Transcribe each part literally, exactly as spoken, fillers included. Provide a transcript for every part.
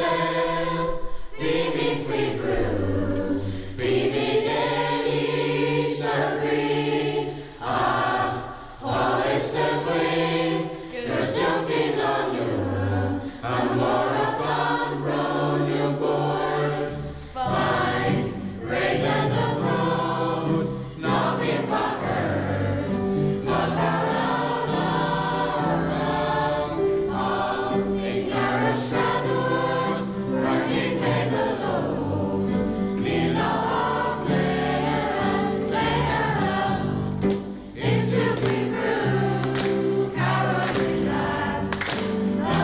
saol, bímid faoi bhrú, bímid in ísle brí, ach tá fhios againn go dtiocfaidh lá nua, amárach gan brón nó buairt. Faigh réidh le do bhród, ná bíodh bac ort, mo chara i ngearr duit, burning with the load. Níl ach Cléire, Is tú faoi bhrú, cabhróidh mé leat. Tá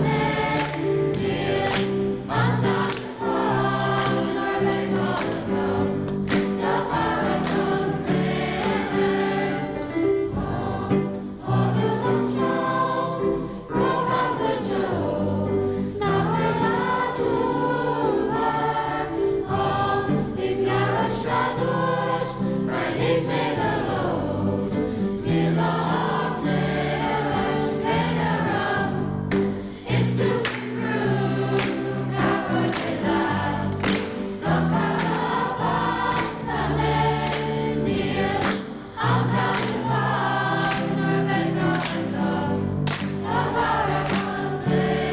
mé, níl an t-am nuair a bheidh gá agam do chara chun Cléire. Tá dúnadh trom, rogha go deo, nach dúmhar. Tá i ngearr duit, burning with the load. Níl ach Cléire, Cléire. Is tú faoi bhrú, cabhróidh mé leat. Do chara feasta mé, níl an t-am i bhfad nuair a bheidh gá agam do chara chun Cléire.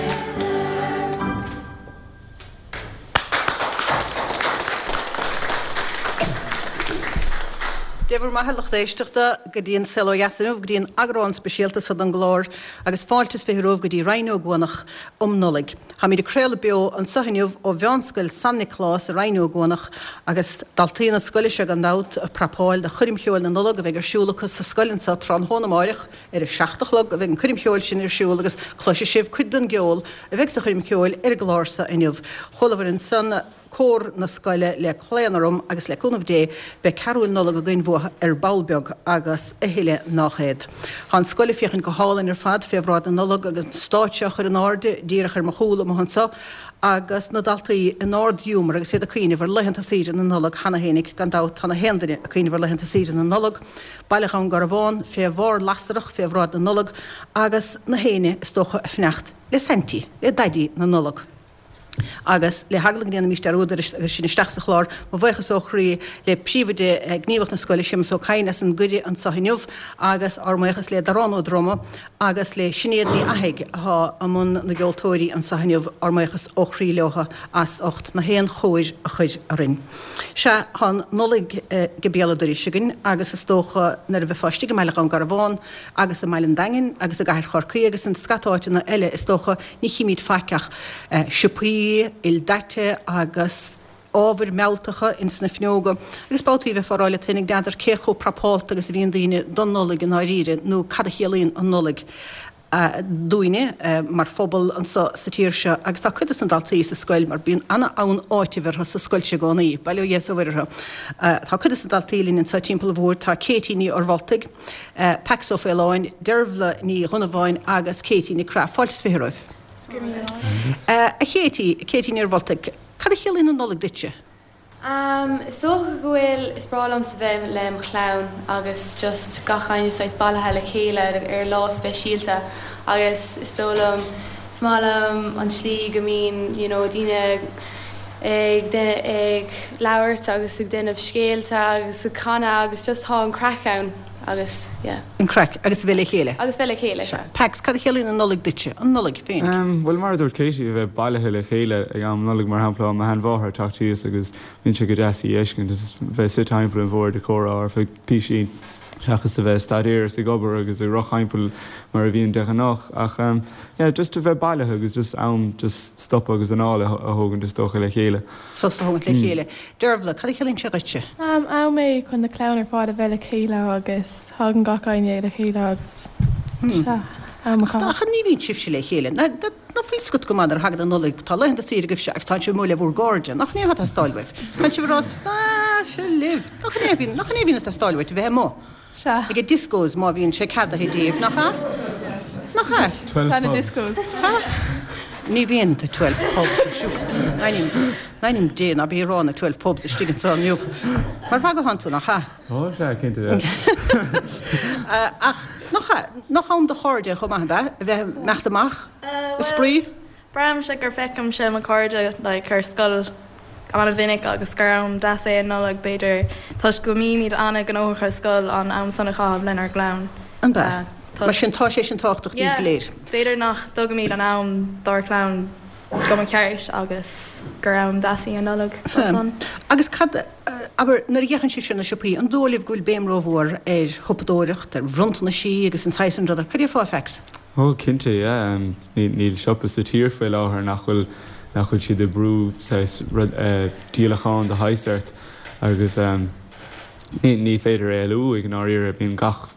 Dia bhur mbeatha lucht éisteachta go dtí an Saol Ó Dheas inniu go dtí an eagrán speisialta seo den gclár agus fáilte is fiche romhaibh go dtí Rinn Ó gCuanach um Nollaig. Táimid ag craoladh beo anseo inniu ó Mheánscoil San Nioclás i Rinn Ó gCuanach agus daltaí na scoile seo gan dabht ag prapáil do choirm cheoil na Nollag a bheidh ar siúl acu sa scoil anseo tráthnóna amárach ar a seacht a chlog a bheidh an choirm cheoil sin ar siúl agus cloisfidh sibh cuid den gceol a bheidh sa choirm cheoil ar an gclár seo inniu. Chualamar ansan cór na scoile le Claon Orm agus le cúnamh Dé beidh carúil Nollag againn uathu ar ball beag agus a thuilleadh nach iad. Tá an scoil ag féachaint go hálainn ar fad fé bhráid na Nollag agus an stáitse á chur in airde díreach ar mo chúl amuigh anseo agus na daltaí in ard-ghiúmar agus iad ag cuimhneamh ar laethanta saoire na Nollag cheana féinig gan dabht tá na haon duine ag cuimhneamh ar laethanta saoire na Nollag, Baile Dhún Garbhán fé bharr lasrach fé bhráid na Nollag agus na héinne is dócha ag fanacht le Saintí le Daidí na Nollag. Agus le heagla go ndéanfaimis dearúd air agus sinn isteach sa chlár, mo bhuíochas ó chroí le príomhoide gníomhach na scoile Séamus Ó Cadhain as an gcuireadh anseo inniu agus ár mbuíochas le Darán Ó Droma agus le Sinéad Ní Fhathaigh atá i mbun na gceoltóirí anseo inniu ár mbuíochas ó chroí leo as ucht na haon chóir a chur orainn. Sea tá an Nollaig go béal an dorais againn agus is dócha nuair a bheifeá istigh i mBaile Dhún Garbhán agus i mBaile an Daingin agus i gCathair Chorcaí agus in scata áiteanna eile is dócha ní chímid faic ach siopaí ildaite agus ábhair mealltacha ins na fuinneoga agus babhtaí bheifeá ag rá leat féinig n'fheadar cé chomh prapálta agus a bhíonn daoine don Nollaig i ndáiríre nó cad a chiallaíonn an Nollaig dúinne mar phobal anseo sa tír seo agus tá cuid de na daltaí sa scoil mar bíonn an-fhonn áitimh orthu sa scoil seo i gcónaí, bail ó Dhia is ó Mhuire orthu. Tá cuid de na daltaí linn anseo timpeall an bhoird, tá Katie Ní Fhorbholtaigh, Pax Ó Faoláin, Dervla Ní Dhonnabháin agus Katie Nic Craith. Fáilte is fiche romhaibh. A Katie, Katie Ní Fhorbholtaigh, cad a chiallaíonn an Nollaig duitse? Um, is dócha go bhfuil is breá liomsa bheith le mo chlann agus just gach éinne saghas bailithe le chéile ar lá speisialta agus is dóigh liom is maith liom an tslí go mbíonn you know, daoine ag ag labhairt agus ag déanamh scéalta agus ag canadh agus just tá an craic ann agus yeah. An craic agus bheith le chéile. Agus bheith le chéile. Pax, cad a chiallaíonn an Nollaig duitse, an Nollaig féin. Um, well mar dúirt Katie a bheith bailithe le chéile ag am Nollag mar shampla mo sheanmháthair teacht síos agus bíonn sé go deas í a fheiscint agus bheith suite timpeall an bhoird ag comhrá ar feadh píosaí seachas a bheith staidéar is ag obair agus ag rith timpeall mar a bhíonn de ghnáth ach um, yeah, just a bheith bailithe agus just am just stop agus anáil a thógaint is dócha le chéile. Sos a thógaint le chéile. Dervla, cad a chiallaíonn sé duitse? Um, am é chun na clann ar fad a bheith le chéile agus tagann gach éinne le chéile agus sea, am a chaitheamh. Ach ní bhíonn sibhse le chéile. Ná fuil scut go maith ar thagann an Nollaig tá laethanta saoire agaibhse agus tá sibh amuigh le bhur gcairde, nach ní atá teastáil uaibh. Tá sibh rá se libh, nach ní bhíonn nach ní bhíonn teastáil uait a bheith amuigh. Sea. Ag discos má bhíonn sé ceadaithe daoibh, nach ea? Nach ea? Tá na discos. Ní bhíonn the twelve pubs ar siúl. Ainm Dé ná bí rá na twelve pubs istigh anseo inniu. Mar bhagahán tú nach ea? Ó sea cinnte. Ach nach nach am do chairde chomh maith a bheith imeacht amach? Uh, Spraoi? Braithimse gur feicimse mo chairde like ar scoil an-mhinic agus gur am deas é an Nollaig b'fhéidir toisc go mbímid an-ghnóthach ar scoil an am san a chaitheamh lenár gclann. An b'ea? Mar sin tá sé sin tábhachtach daoibh go léir. B'fhéidir nach dtugaimid an am dár gclann go mba cheart agus gur am deas í an Nollaig san. Agus cad abair nuair a fhéachann sibh ar na siopaí, an dóigh libh go bhfuil béim rómhór ar shiopadóireacht, ar bhronntanaisí agus an saghas sin ruda? Cad é fá Pax? Ó cinnte, yeah. Níl siopa sa tír faoi láthair nach bhfuil nach bhfuil siad ag brú saghas rud díolachán de shaghas ort agus ní ní féidir éalú i ndáiríre bíonn gach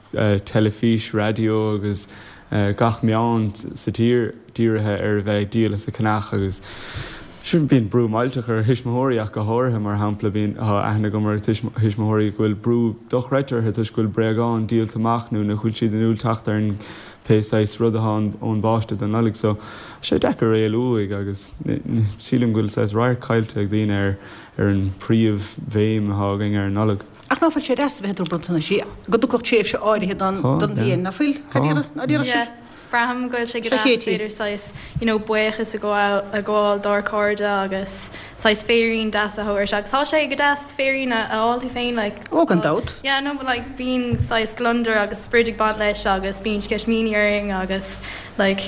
teilifís, raidió agus gach meán sa tír dírithe ar a bheith ag díol is ag ceannach agus sin bíonn brú millteach ar thuismitheoirí ach go háirithe mar shampla bíonn tá aithne agam ar thuismitheoirí go bhfuil brú dochreidte orthu toisc go bhfuil bréagáin díolta amach nó nach bhfuil siad in ann teacht ar an pé saghas rud atá ón bpáiste don Nollaig so sé deacair éalú uaidh agus sílim go bhfuil saghas radharc caillte ag daoine ar ar an príomhbhéim atá againn ar an Nollaig. Ach ná fuil sé deas a bheith ag tabhairt bronntanais go dtiocfadh tréimhse áirithe don don bhliain, ná fuil? Cad iarraidh ná déarfadh sibh? Braithim go bhfuil sé go deas b'fhéidir saghas you know buíochas a ghabháil a ghabháil dár cairde agus saghas féirín deas a thabhairt agus tá sé go deas féirín a fháil tú féin like Ó gan dabht. Yeah no but like bíonn saghas gliondar agus sprid ag baint leis agus bíonn sceitimíní orainn agus like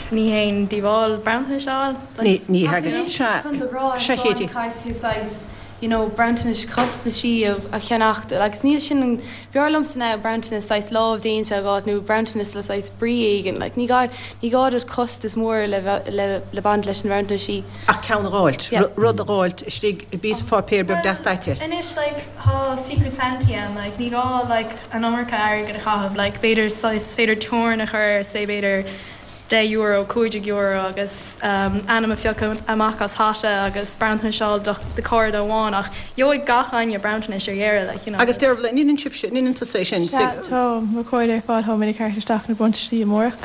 ní haon díobháil bronntanais a fháil like Ní ní thagann sea Chun do ghrá a sea thaispeáint Katie. caithfidh tú saghas you know bronntanais costaisí a cheannacht agus níl sin an b'fhearr liomsa ná bronntanas saghas lámhdéanta a fháil nó bronntanas le saghas brí éigin like ní gá ní gá duit costas mór le le le baint leis na bronntaisí. Ach ceann a dh'fháilt, Yeah. rud a dh'fháilt istigh i bpíosa pháipéir beag deas daite. Anois like tá Secret Santa ann like ní gá like an iomarca airgid a chaitheamh like b'fhéidir saghas féidir teorainn a chur say b'fhéidir deich euro, cúig déag euro agus ainm a phiocadh amach as hata agus bronntanais a fháil do do chairde amháin ach gheobhaidh gach éinne bronntanais ar dheireadh like you know. Agus Dearbhla, an ndéanann sibhse, an ndéanann tusa é sin? Sea, tá mo chairde ar fad, táimid ag tabhairt isteach na bronntaisí amárach.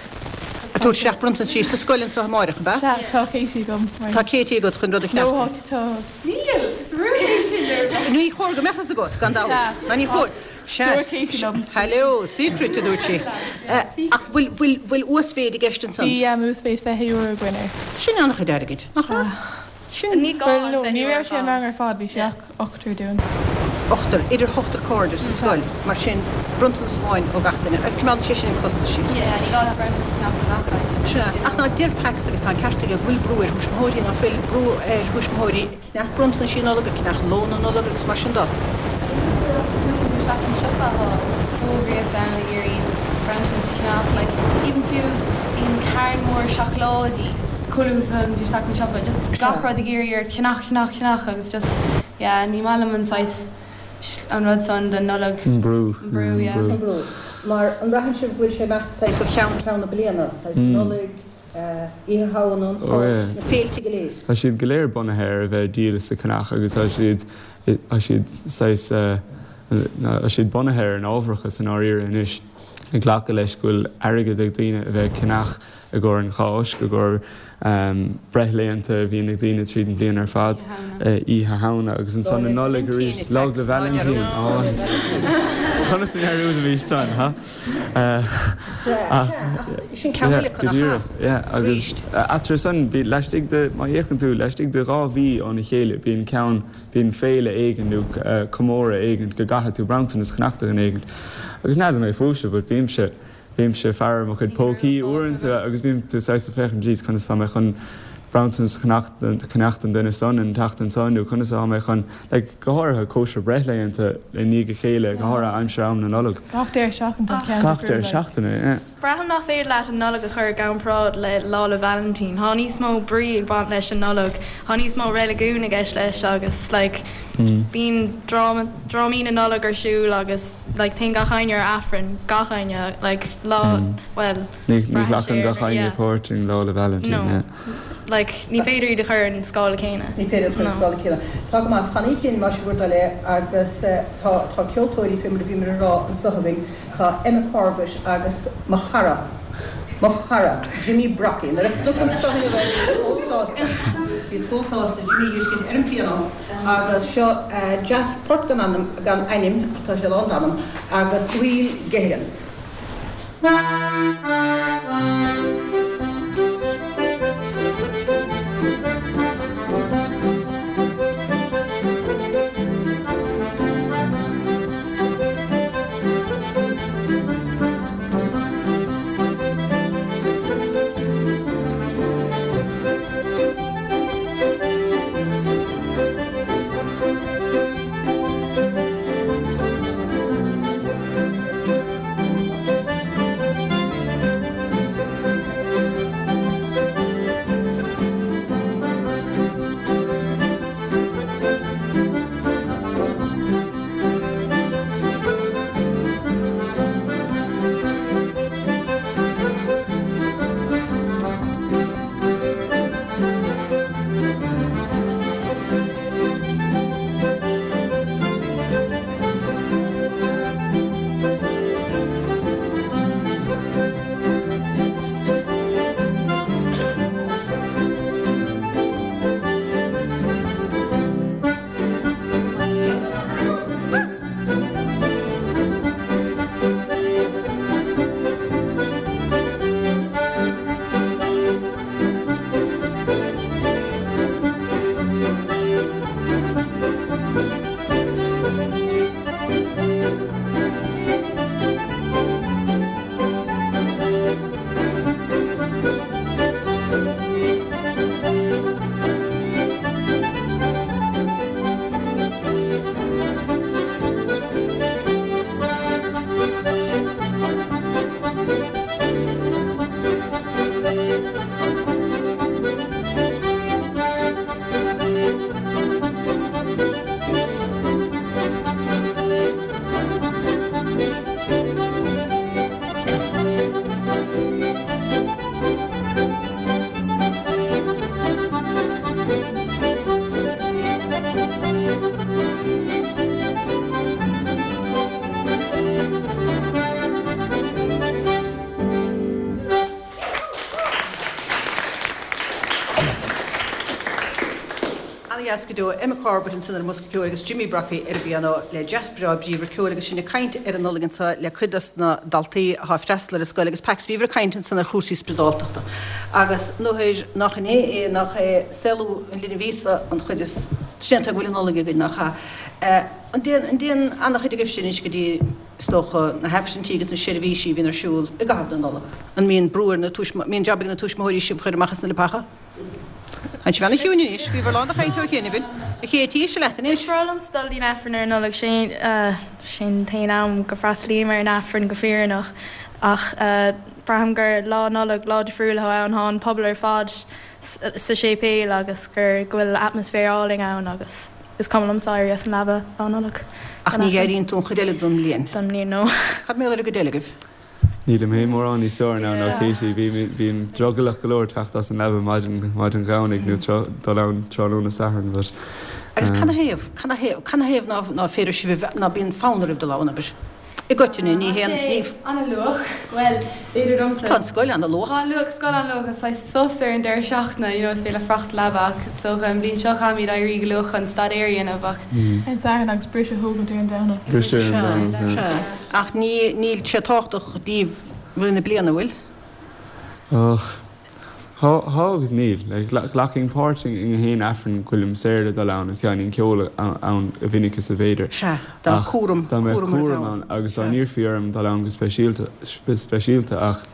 Ag tabhairt isteach bronntaisí sa scoil anseo amáireach, ab ea? Sea, tá Katie agam mar. Tá Katie agat chun rud a No, cheannacht. tá. Níl, is rún é sin ar. Ní chóir go mbeadh fhios agat, gan dabht. Sea. Ná ní chóir. Sea, Dúirt Katie liom. Hello, secret a dúirt sí. Ach bhfuil, bhfuil, bhfuil uasmhéid i gceist ansan? Bhí uasmhéid fiche euro againn air. Sin an-chuid airgid, nach ea? Sin. Ní gá Bhuel, an no, fiche ní euro raibh sé an ar rang fad. ar fad, bhí sé ach ochtar dúinn. Ochtar, idir ochtar cairde sa scoil, mar sin, bronntanas amháin ó gach duine. Agus coimeádann sé sin an costas síos. Yeah, ní gá na bronntanas a cheannach do gach éinne. Sea, ach ná deir Pax agus tá an ceart aige go bhfuil brú ar thuismitheoirí, ná fuil brú ar thuismitheoirí ag ceannach bronntanas Nollag, ag ceannach lón na Nollag agus mar sin de. Isteach an siopa tá fógraíocht ann ag iarraidh bronntanas a cheannach like even fiú bíonn carn mór seacláidí chuile uair a thagann tú isteach an siopa just gach rud ag iarraidh ort ceannach ceannach ceannach agus just yeah ní maith liom an saghas an rud san den Nollaig. An brú. An brú, yeah. An brú. Mar an mbraitheann sibh go bhfuil sé imeacht saghas ó cheann ceann na bliana, saghas Nollaig, Oíche Shamhna, an Cháisc, na féilte go léir. Tá siad go léir bunaithe ar a bheith ag díol is ag ceannach agus tá siad tá siad saghas tá siad bunaithe ar an ábharachas i ndáiríre anois ag glacadh leis go bhfuil airgead ag daoine a bheith ag ceannach i gcomhair an Cháisc, i gcomhair breithlaethanta a bhíonn ag daoine tríd an bhliain ar fad, Oíche Shamhna agus ansan an Nollaig arís, Lá 'le Vailintín. Conas a ndearúdaimís san, ha? Sin ceann eile Go díreach, yeah, agus eatarthu san, bhí laistigh de, má fhéachann tú, laistigh de dhá mhí óna chéile bíonn ceann, bíonn féile éigin nó comóradh éigin go gcaithfidh tú bronntanas a cheannach do dhuine éigin. Agus n'fheadar mé fúibhse, but bímse, bímse faire mo chuid pócaí uaireanta agus bím tú saghas ag féachaint, jeez, conas tá mé chun bronntanas a cheannach don duine san an tseachtain san nó conas atá mé chun, like, go háirithe cóisir breithlaethanta i ndiaidh a chéile, go háirithe aimsir am na Nollag. Gach deireadh seachtaine tá ceann Gach deireadh seachtaine, yeah. Braithim nach féidir leat an Nollaig a chur i gcomparáid le Lá 'le Vailintín. Tá níos mó brí ag baint leis an Nollaig, tá níos mó reiligiún i gceist leis agus like bíonn dráma, drámaí na Nollag ar siúl agus like téann gach éinne ar Aifreann, gach éinne, like lá, bhuel, Ní ní braitheann ghlacann sé gach ar, éinne yeah. páirt in Lá 'le Vailintín, No. yeah. Like ní féidir iad a chur ar an scála céanna. Ní féidir a chur ar an scála céanna. Tá go maith, fanaigí linn más bhur dtoil é agus tá tá ceoltóirí fé mar a bhíomar a rá anseo againn, tá Emma Corbett agus mo chara, mo chara, Jimmy Brockie. Nuair a chonac anseo inniu é bhíos chomh sásta, bhíos chomh sásta Jimmy a fheiscint ar an pianó agus seo jazz port gan ainm, gan ainm ach tá sé lán d'anam, agus Ríl Gehigans. An-dheas go deo, Emma Corbett ansin ar an mbosca ceoil agus Jimmy Brockie ar an bpianó le jazz breá bríomhar ceoil agus sinn ag caint ar an Nollaig anseo le cuid dos na daltaí atá ag freastal ar an scoil agus Pax bhíobhair ag caint ansan ar chúrsaí spioradáltachta agus nuair nach in é é nach é saolú an linbh Íosa an chuid is séanta go bhfuil an Nollaig againn nach ea? An dtéann an dtéann an-chuid agaibhse anois go dtí is dócha na hAifrinntí agus na seirbhísí a bhíonn ar siúl i gcaitheamh na Nollag? An mbíonn brú ar na tuism mbíonn jab ag na tuismitheoirí sibh a chur amach as na leapacha? Tánn sibh ana-chiúin anois, bhíobhair lán de chaint ó chianaibh. A Chéití, seo leat anois. Is breá liomsa dul dtí'n Aifreann ar an Nollaig, sin sin t-aon am go bhfreastalaím ar an Aifreann go fírinneach ach braithim gur Lá Nollag lá difriúil atá ann, tá an pobal ar fad sa séipéal agus gur go bhfuil atmaisféar álainn ann agus is cuma liomsa éirí as an leaba Lá Nollag Ach don ní Aifreann. éiríonn tú an chuid eile den mbliain. Den mbliain, no. Cad mar gheall ar an gcuid eile agaibh? Nílim féin mórán níos fearr ná ná Katie. Bím bím drogallach go leor teacht as an leaba maidin maidin Dhomhnaigh nó tráth dul ann tráthnóna Sathairn but Agus um. canathaobh, canathaobh, canathaobh ná ná féidir sibh a bheith, ná bíonn fonn oraibh dul ann, abair? I gcoitinne, ní Tá haon, ní. sé an-luath, bhuel, b'fhéidir domsa. Tá an scoil an-luath. Tá an luath, scoil an-luath, is saghas sos ar an deireadh seachtaine, you know, is féidir leat fuireach sa leaba ach is dócha an bhliain seo caithfimid éirí go luath chun staidéar a dhéanamh ach. Ar an Satharn agus briseadh a thógaint ar an Domhnach. Briseadh ar an Domhnach, Sea, yeah. sea. Ach ní, níl sé tábhachtach daoibh rith na bliana, bhfuil? Och, thá, thá agus níl. Like, ghlacaim páirt i ngach aon Aifreann go bhfuilim saor le dul ann agus dhéanaim ceol ann a mhinic is a bhféidir. Sea, dá mbeadh Ach cúram, dá mbeadh cúram oraibh cúram ann. ann agus dá Sea. n-iarrfaí orm dul ann go speisialta, speisialta ach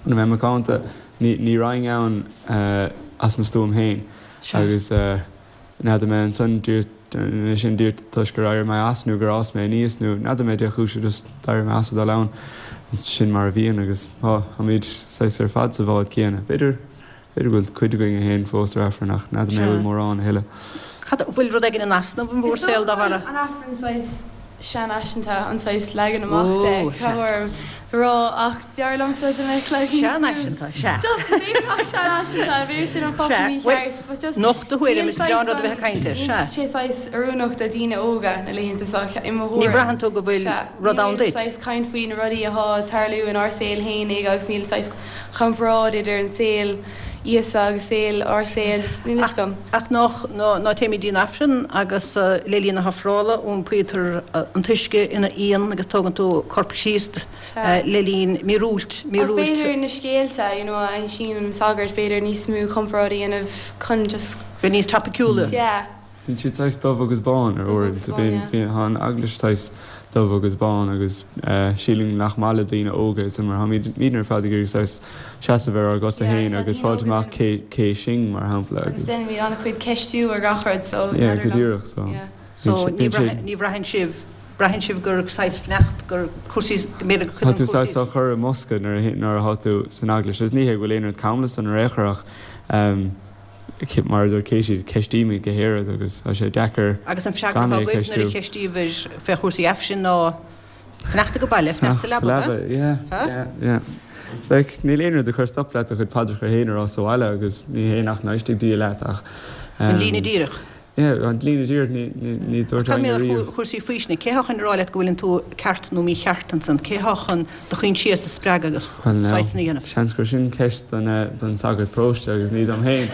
chun a bheith macánta, ní, ní raghainn ann as mo stuaim féin Sea. agus n'fheadar mé ansan díreach sin díreach toisc gur éirigh mé as nó gur fhás mé aníos nó n'fheadar mé dé chúis just d'éirigh mé as a dul ann. Sin mar a bhíonn agus tá, táimid saghas ar fad sa bhád céanna. B'fhéidir, b'fhéidir go bhfuil cuid againn a théann fós ar Aifreann ach n'fheadar mé Sea. bhfuil mórán a thuilleadh. Cad, bhfuil rud éigin in easnamh in bhur Is saol dócha dá go bhfuil bharra? an Aifreann saghas seanfhaiseanta, an saghas leagan amach de, Ó, sea. caithfidh orm a rá ach b'fhearr liomsa dá mbeadh like níos mó Seanfhaiseanta, sea. Just b'fhéidir nach seanfhaiseanta, b'fhéidir sin an focal Sea, bhuel, mícheart, but just nocht do thuairim, níl is breá an saghas rud a bheith ag caint air, níl sea. sé saghas oiriúnach do daoine óga na laethanta seo, i mo Ní thuairim. bhraitheann tú go bhfuil Sea, rud ann níl duit? saghas caint faoi na rudaí atá ag tarlú inár saol fhéinig agus níl saghas comparáid idir an saol Íosa agus saol ár saol, just níl fhios agam. Ach nach, ná, ná téimid dtí'n Aifreann agus le linn na hofrála iompaítear an t-uisce ina fhíon agus tógann tú corp Chríost Sea. le linn míorúilt, Ach míorúilt. b'fhéidir na scéalta, you know, a insíonn an sagart, b'fhéidir níos mó comparáid a dhéanamh chun just. Bheith níos tapiciúla. Yeah. Bíonn siad saghas dubh agus bán ar Dubh uair. agus So bán, bíonn, yeah. bíonn, tá an eaglais saghas dubh agus bán agus sílim nach maith le daoine óga is mar táimidne ar fad ag iarraidh saghas seasamh ar ár gcosa Yeah, féin agus agus tá daoine fáilt óga amach cé cé sinn mar shampla Agus agus déanaimid an-chuid ceistiú ar gach rud so Yeah, n'fheadar go liom. díreach so. Yeah. So Bíonn ní sé- bhraith- ní bhraitheann sibh braitheann sibh gur saghas fanacht gur cúrsaí go mb'fhéidir gur Tá cuid tú den saghas cúrsaí á chur i mbosca nuair a nuair atá tú san eaglais agus ní hé go bhfuil aon rud camlas an réchar ach um, mar a dúirt Katie ceistímid go héiread agus tá sé deacair Agus an freagra gan é atá agaibh nuair a ceistiú. cheistíobhair fé chúrsaí aifrinn ná fanacht go baile, fanacht sa Fanacht sa leaba, leaba, yeah, Ha? yeah, yeah. Like, níl aon rud a chur stop leat do chuid paidreacha féin a rá sa bhaile agus ní hé nach n-éistfidh Dia leat ach An um, líne díreach. Yeah, an líne díreach ní ní ní dúirt Cad éinne mé riamh. chúrsaí faoistine, cé há chun rá leat go bhfuileann tú ceart nó mícheart ansan, cé há chun do choinsias a spreagadh agus Well, no. saghas na dhéanamh. Seans gur sin ceist don, eh, don sagart paróiste agus ní dom féin.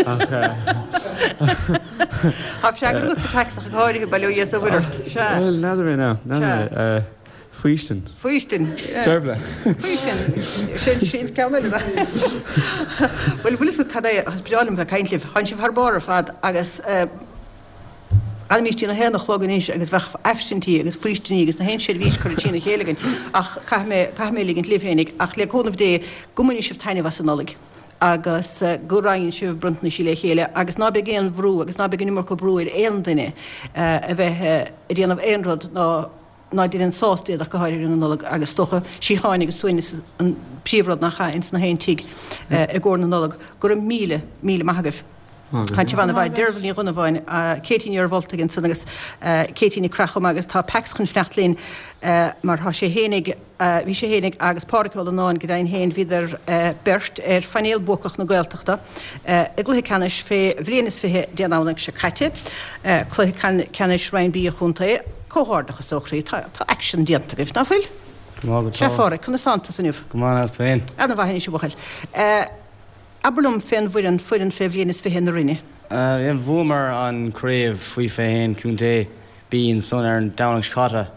Ach, eh, Tá freagra agat sa Pax ach go háirithe bail ó Dhia is a Mhuire ort. Sea. Well, n'fheadar mé now, n'fheadar Sea. mé. Eh, Faoistin. Faoistin. Dearbhla. Faoistin. Sin sin ceann eile. Well, bhfuil fhios cad é is breá liom bheith ag caint libh. Tánn sibh thar barr ar fad agus Gabhaimis dtí'n a haon a chlog anois agus bheadh aifrinntí agus faoistiní agus na haon seirbhís curtha trína chéile againn ach caithfidh mé caithfidh mé ligint libh féinig ach le cúnamh Dé go mbainfidh sibh taitneamh as an Nollaig agus go roinnfidh sibh bronntanais le chéile agus ná beidh aon bhrú agus ná beidh an iomarca brú ar aon duine a bheith ag déanamh aon rud ná ná déanann sásta iad ach go háirithe ar an Nollaig agus is dócha síocháin agus suaimhneas an príomhrud nach ea ins na haon tigh i gcomhair na Nollag. Go raibh míle míle maith agaibh. Tá sibh an-mhaith. Deirbhile Ní Dhonnabháin, Katie Ní Mhuircheartaigh ansan agus Katie Nic Craith chomh maith agus tá Pax chun fanacht linn mar tá sé fhéinig, bhí sé fhéinig agus Pádraic Ó Lonáin go deimhin féin, bhíodar beirt ar phainéal buacach na Gaeltachta i gcluiche ceannais fé bhliain is fiche Dé Domhnaigh seo caite, cluiche ceannais Roinn B an chontae. Comhghairdeachas ó chroí. Tá aicsean déanta agaibh, ná fuil? Go maith, go Sea, tá. Phádraic, conas tánn tusa inniu? Go maith, is tú féin? Ana mhaith anois, a bhuachaill. Abair liom fén bhfoireann, foireann fé bhliain is fiche na Rinne. Bhuamar an craobh faoi fiche haon contae B ansan ar an Domhnach seo caite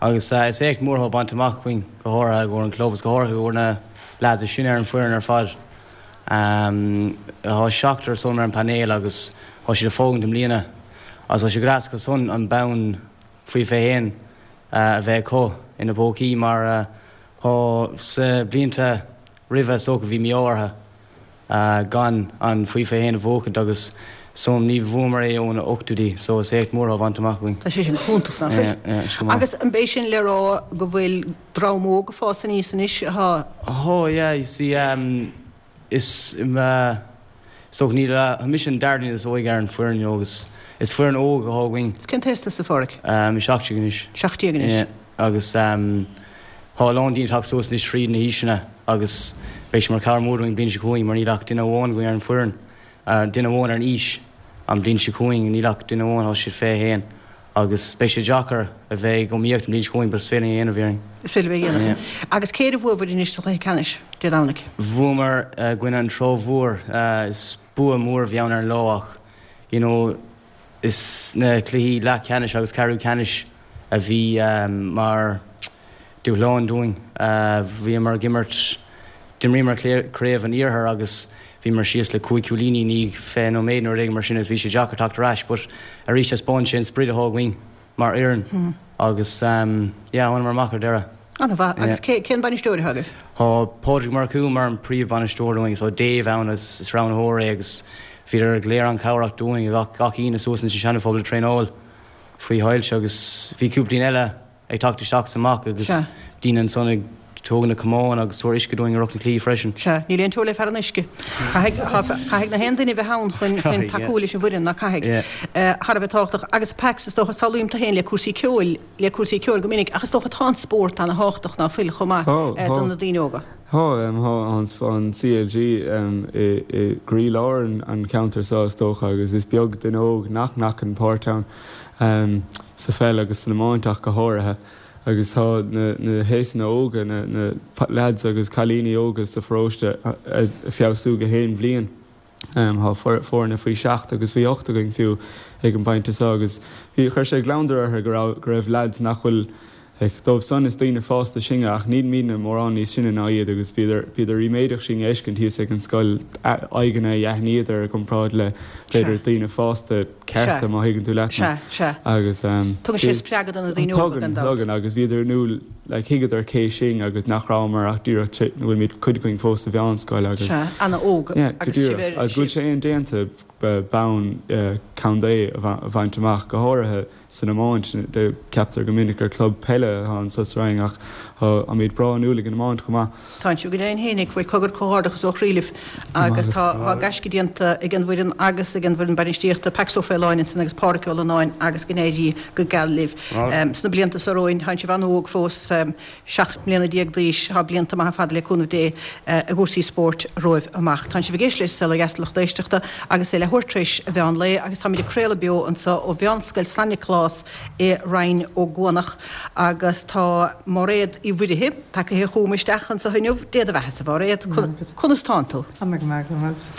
agus is éacht mór atá bainte amach againn go háirithe i gcomhair an club agus go háirithe i gcomhair na lads is sine ar an foireann ar fad. Tá seachtar ansan ar an painéal agus tá siad ag fágaint i mbliana agus tá sé go deas acu san an bonn faoi fiche haon a bheith acu ina bpócaí mar tá sa blianta roimhe is dócha bhí mí-ádh orthu gan an faoi fiche haon a bhuachaint agus so ní bhuamar é ó na ochtóidí so is éacht mór atá bainte amach againn. Tá sé sin iontach nach bhfuil? Yeah, yeah, is go maith. Agus an b'é sin le rá go bhfuil dream óg ag fás aníos anois atá. Oh yeah, you see um, is um, uh, so níl uh, mise an dara duine is óige ar an foireann you know, agus is foireann óg atá againn. Is cén t-aois tusa, a Pháraic? Um, seacht déag anois. Seacht déag anois. Yeah, agus um, tá a lán daoine ag teacht suas anois tríd na haoiseanna agus beidh sé mar cabhair mór dúinn bliain seo chugainn mar níl ach duine amháin againn ar an foireann, uh, duine amháin ar an aois an bliain seo chugainn níl ach duine amháin tá siad fiche haon agus beidh sé deacair a bheith ag iomaíocht an bliain seo chugainn but is féidir linn a dhéanamh déarfainn. Is féidir a dhéanamh. Yeah. Agus cé a bhuaigh bhur anois sa chluiche ceannais Dé Domhnaigh? Bhuamar uh, gcoinne an Trá Mhór uh, is bua mór a bhí ann ar an lá ach you know, is na cluichí leath ceannais agus ceathrú ceannais a bhí um, mar dúshlán dúinn. Uh, bhíomar ag imirt d'imríomar craobh an iarthair agus bhíomar síos le cúig cúilíní ní fiche nóiméad nó rud mar sin is bhí sé deacair teacht ar ais, but arís thaispeáin sé an sprid atá againn mar fhoireann Hmm. agus um, yeah, thánamar amach ar deireadh. An-mhaith agus Yeah. cé cén bainisteoir atá agaibh? Tá Pádraig Murchú mar an príomhbhainisteoir dúinn, so Dave ann is, is roghnóir é agus bhíodar go léir an-chabhrach dúinn gach gach aoine suas sa Seana Phobal traenáil faoi shoilse agus bhí cúpla daoine eile ag teacht isteach sa amach agus Sea. daoine ansan ag tógáil na camáin agus tabhairt uisce dúinn ar na cluichí freisin. Sea, níl aon teora le fear an uisce. Caithfidh na haon duine bheith ann chun chun Caithfidh, tacú yeah. leis an bhfoireann ná caithfidh. Yeah. Eh, Thar a bheith tábhachtach agus Pax is dócha samhlaím tú féin le cúrsaí ceoil le cúrsaí ceoil go minic ach is dócha tá an spórt an-tábhachtach ná fuil chomh maith Tá, eh, tá. do na daoine óga. Tá um, tá an, an CLG um, i, i gcroílár an, an ceantar seo is dócha agus is beag duine óg nach nglacann páirt ann um, sa pheil agus san iomáint ach go háirithe. agus tá na, na haoiseanna óga na, na pa- lads agus cailíní óga sa pharóiste ag feabhsú gach aon bhliain. Um, tá foirne faoi seacht agus faoi ocht againn fiú ag an bpointe seo agus bhí chuir sé gliondar orthu go raibh go raibh lads nach bhfuil ag dóibh san is daoine fásta sinne ach níl muidne mórán níos sine ná iad agus bhíodar bhíodar ríméadach sinn a fheiscint thíos ag an scoil aghaidheanna a aithníodar i gcomparáid le b'fhéidir daoine fásta cearta Sea. má thuigeann tú leat. Sea, sea. agus um, Tugann sé spreagadh do na daoine óga gan Tugann, dabht. tugann agus bhíodar nú le thuigeadar cé sinn agus nach rabhamar ach díreach bhfuil muid cuid againn fós sa mheánscoil agus Sea, an-óg Yeah, go agus díreach. sibh ar- Agus go bhfuil sé indéanta bonn contae a bha- a bhaint amach go háirithe san iomáint de ceaptar go minic gur club peile atá anseo sa Rinn ach táimid breá inniúil ag an iomáint chomh maith. Tá siú go dé hénig bhfuil cogar comhghairdeachas ó chroí libh agus tá tá gaisce déanta ag an bhfoireann agus ag an bhfoireann bainistíochta Pax Ó Faoláin ansin agus Pádraig Ó Lonáin agus go n-éirí go geal libh. Um, Sna blianta seo romhainn tá sibh an-óg fós um, seacht mbliana déag d'aois tá blianta maithe fada le cúnamh Dé uh, i gcúrsaí spóirt romhaibh amach. Tá sibh ag éisteacht le Saol Ó Dheas lucht éisteachta agus é leathuair tar éis an mheán lae agus táimid ag craoladh beo anseo ó Mheánscoil San Nioclás i Rinn Ó gCuanach agus tá Máiréad Uí Mhuirithe tagtha chugam isteach anseo inniu Dé do bheatha a Mháiréad conas tánn tú. Tá mé go maith go maith.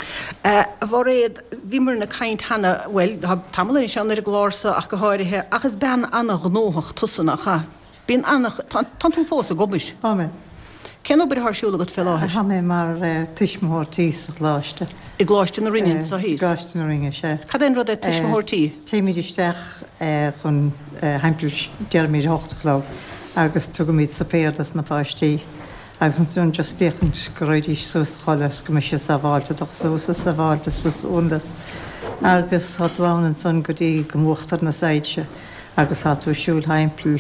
Uh, a Mháiréad bhíomar ag caint cheana well tá tamall anois ann ar an gclár seo ach go háirithe ach is bean an-ghnóthach tusa nach ea. Bíonn an tá tú fós ag obair. Tá mé. Cén obair atá ar siúl agat fé láthair? Tá mé mar uh, tuismitheoir tí sa choláiste. I gColáiste na Rinne seo thíos. Coláiste na Rinne sé. Cad é an rud é tuismitheoir tí? Téimid isteach eh, chun timpeall deirimid hocht a chlog agus tugaimid suipéar dos na páistí. Agus ansin just féachaint go raghaidís suas a chodladh go mbeidh sé sábháilte doch suas is sábháilte suas. Agus tá tú ann ansan go dtí go múchtar na soilse agus tá tú siúl timpeall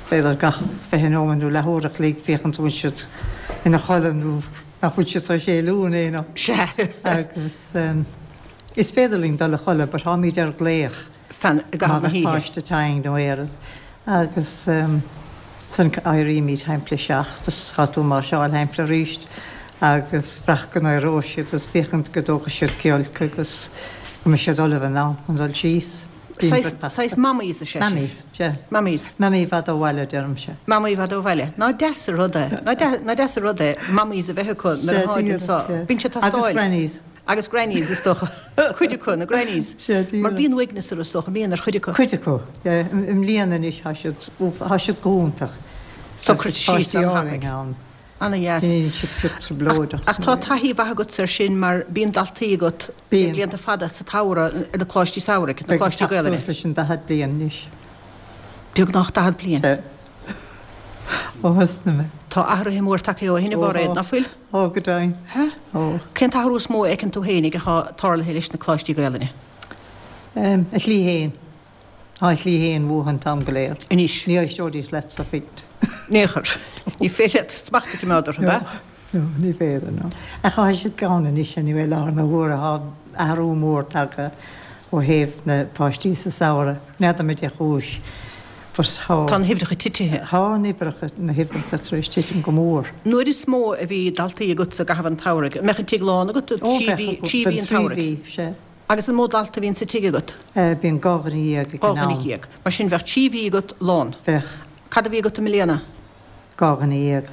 b'fhéidir gach fiche nóiméad nó leathuair a chloig féachaint bhfuil siad ina chodladh nó nach bhfuil siad sa séú éana. Se. Agus um, is féidir linn dul a chodladh, but táimid ar glaoch Fan gach na híhe. páiste tinn nó éad. Agus um, san éirímid timpeall seacht, is tá tú máirseáil timpeall arís agus féach go n-éireoidh siad is féachaint go dtógfaidh siad giolc agus go mbeidh siad ullamh in am chun dul síos. Saghas mammies is ea. Mammies, sé. Mammies. Mamaí i bhfad ó bhaile deirimse. Mamaí i bhfad ó bhaile. Ná deas an rud é. Ná deas an rud é mammies a bheith acu nuair atá so. Bíonn sé Agus tastáil. grannies. Agus grannies is dócha. Cuid acu, na grannies. Mar bíonn uaigneas orthu is dócha, bíonn ar chuid acu. Cuid acu, yeah. I mbliana anois tá siad, tá siad go hiontach. Socraithe síos an-thapaidh. Ana-dheas. Níl siad pioc trioblóideach. Ach tá taithí mhaith agat air sin mar bíonn daltaí agat le blianta fada sa tsamhradh ar na coláistí samhraidh, na coláistí Gaelainne. Beidh suas leis an daichead bliain anois. Beagnach daichead bliain. Sea. Ó thosnaigh mé. Tá athruithe mór tagtha ó shin, a Mháiréad, ná fuil? Ó, go deimhin. Hea? Ó. Cén t-athrú is mó a fheiceann tú féinig atá tarlaithe leis na coláistí Gaelainne? A shlí féin. Tá a slí féin uathu an t-am go léir. Anois. Ní éisteoidís leatsa fiú. In aon chor. Ní féidir leat smacht a choimeád orthu, ab ea? No, ní féidir, no. Ach tá siad gann anois anyway, i láthair na huaire tá athrú mór tagtha ó thaobh na páistí sa samhradh. N'fheadar cad é chúis but tá. Tá na huimhreacha titithe. Tá na huimhreacha, na huimhreacha tar éis titim go mór. Nuair is mó a bhí daltaí agatsa i gcaitheamh an tsamhraidh, an mbeadh an tigh lán agat Ó, trí bheadh, mhí, trí mhí don an trí tsamhraidh? mhí, sea. Agus an mó dalta a bhíonn sa tigh agat? Bíonn dhá dhuine dhéag ag Dhá an dhuine am. dhéag. Mar sin bheadh trí mhí agat lán. Bheadh. Cad a bhí agat i mbliana? Dhá dhuine dhéag.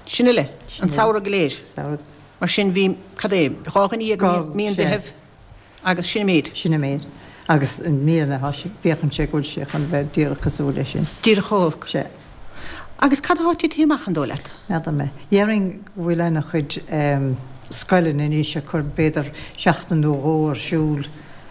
Sin uile? Sin An uile. samhradh go léir? Samhradh. Mar sin bhí, cad é, dhá dhuine dhéag i mí an Dhá, sea. Mheithimh agus sin an méid. Sin an méid. Agus i mbliana tá sé, féachann sé go bhfuil sé chun bheith díreach cosúil leis sin. Díreach chomh holc. Sea. Agus cad atá titithe amach an dóigh leat? N'fheadar mé. Déarfainn go bhfuil ana-chuid scoileanna anois ag cur b'fhéidir seachtain nó dhó ar siúl,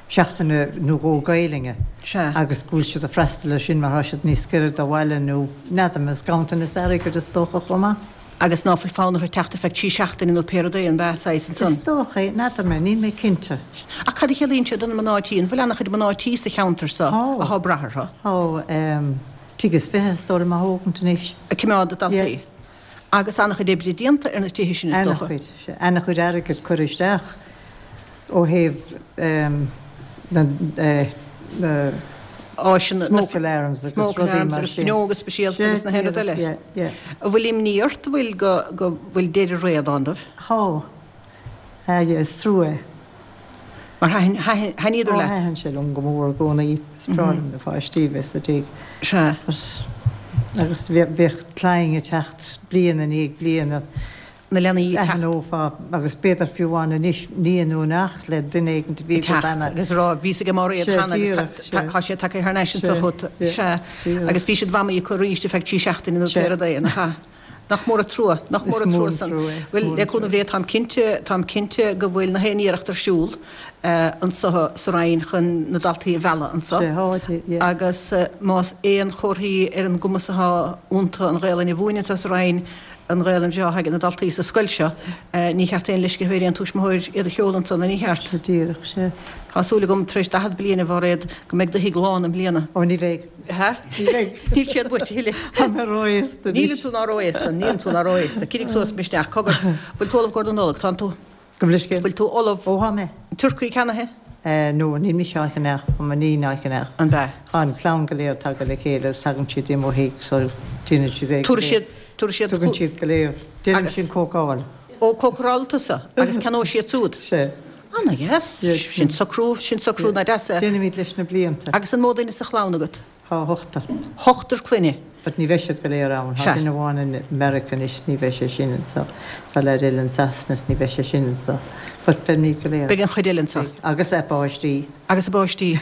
seachtain nó dhó Gaelainne. Sea. Agus go bhfuil siad ag freastal air sin mar tá siad níos giorra do bhaile nó n'fheadar mé, is ganntanas airgid is dócha chomh maith. Agus ná fuil fonn orthu teacht ar feadh trí seachtaine nó pé rud é, an b'ea, saghas ansan? Is dócha é, n'fheadar mé, níl mé cinnte. Ach cad a chiallaíonn sé do na mná tí? An bhfuil ana-chuid mná tí sa cheantar so atá ag brath orthu? Tá. Tigh is fiche is dóigh liom á thógaint anois. Ag coimeád daltaí. Yeah. Agus an-chuid oibre déanta ar na tithe sin is dócha. Ana-chuid, sea. Ana-chuid airgid curtha isteach ó thaobh na na áiseanna, na smoke alarms agus smoke rudaí alarms mar agus sin. fuinneoga speisialta agus na Sea, haon rud eile. yeah, yeah. An bhfuil imní ort, an bhfuil go go bhfuil deireadh ré i ndán dóibh? Tá. Ah, yeah, is trua é. Mar thaitin, thaitin, thaitníodar Ó, leat? thaitin sé liom go mór i gcónaí. Is breá liom na páistí bheith sa tigh. Sea. But, agus bheadh, bheadh clainn ag teacht bliain i ndiaidh bliana. Na leanaí ag teacht. Aithneofá, agus b'fhéidir fiú amháin anois, nia nó neacht le duine éigin a bhí Ag teacht agat cheana. agus a rá, bhíos ag Máiréad Sea, cheana agus díreach, tá, sea. tá, tá sé tagtha thar n-ais anseo Sea, chugat. yeah, Sea. díreach. Agus bhí siad mamaí acu arís ar feadh trí seachtaine nó Sea. pé rud é, nach ea? Nach mór an trua, nach mór an trua san. Bhuel, le cúnamh Dé, táim cinnte, táim cinnte go bhfuil na haon iarracht ar siúl anso sa Rinn chun na daltaí a mhealladh anso. Agus más aon chomharthaí ar an gcumas atá iontu an Ghaelainn a mhúineadh anso sa Rinn, an Ghaelainn bhreá atá ag na daltaí sa scoil seo, ní cheart aon leisce a bheith ar aon tuismitheoir iad a sheoladh anso, nó ní cheart? Díreach, sea. Tá súil agam, tar éis daichead bliain, a Mháiréad, go mbeidh do thigh lán i mbliana. Ó, ní bheidh. Hea? Ní bheidh. Níl siad uait a thuilleadh. Tá mé ró-aosta anois. Níleann tú ná ró-aosta, níleann tú ná ró-aosta. Coinnigh suas misneach. Cogar, bhfuil tú ullamh i gcomhair na Nollag? Tánn tú? Gabh mo leithscéal. Bhfuil tú ullamh? Ó, tá mé. An turcaí ceannaithe? Eh, no, níl mise á cheannach, tá m'iníon á cheannach. An b'ea? Tá an chlann go léir tagtha le chéile agus tagann siad i mo thigh so déanann siad é go Tabharfaidh léir. siad, tabharfaidh siad Tugann siad go léir. Déanann Agus. siad cócáil. Ó, cócarálann tusa agus ceannóidh siad siúd. Sea. Ana dheas. Sin socrú, sin socrú ná deas é. Déanaimid leis na blianta. Agus an mó duine sa chlann agat? Tá ochtar. Ochtar clainne. But ní bheidh siad go léir ann. Tá Sea. duine amháin i Meiriceá anois, ní bheidh sé sin anso. Tá leaid eile in Sasana is ní bheidh sé sin anso. But beimid go léir. Beidh an chuid eile anso. Beidh. Agus a bpáistí. Agus a bpáistí.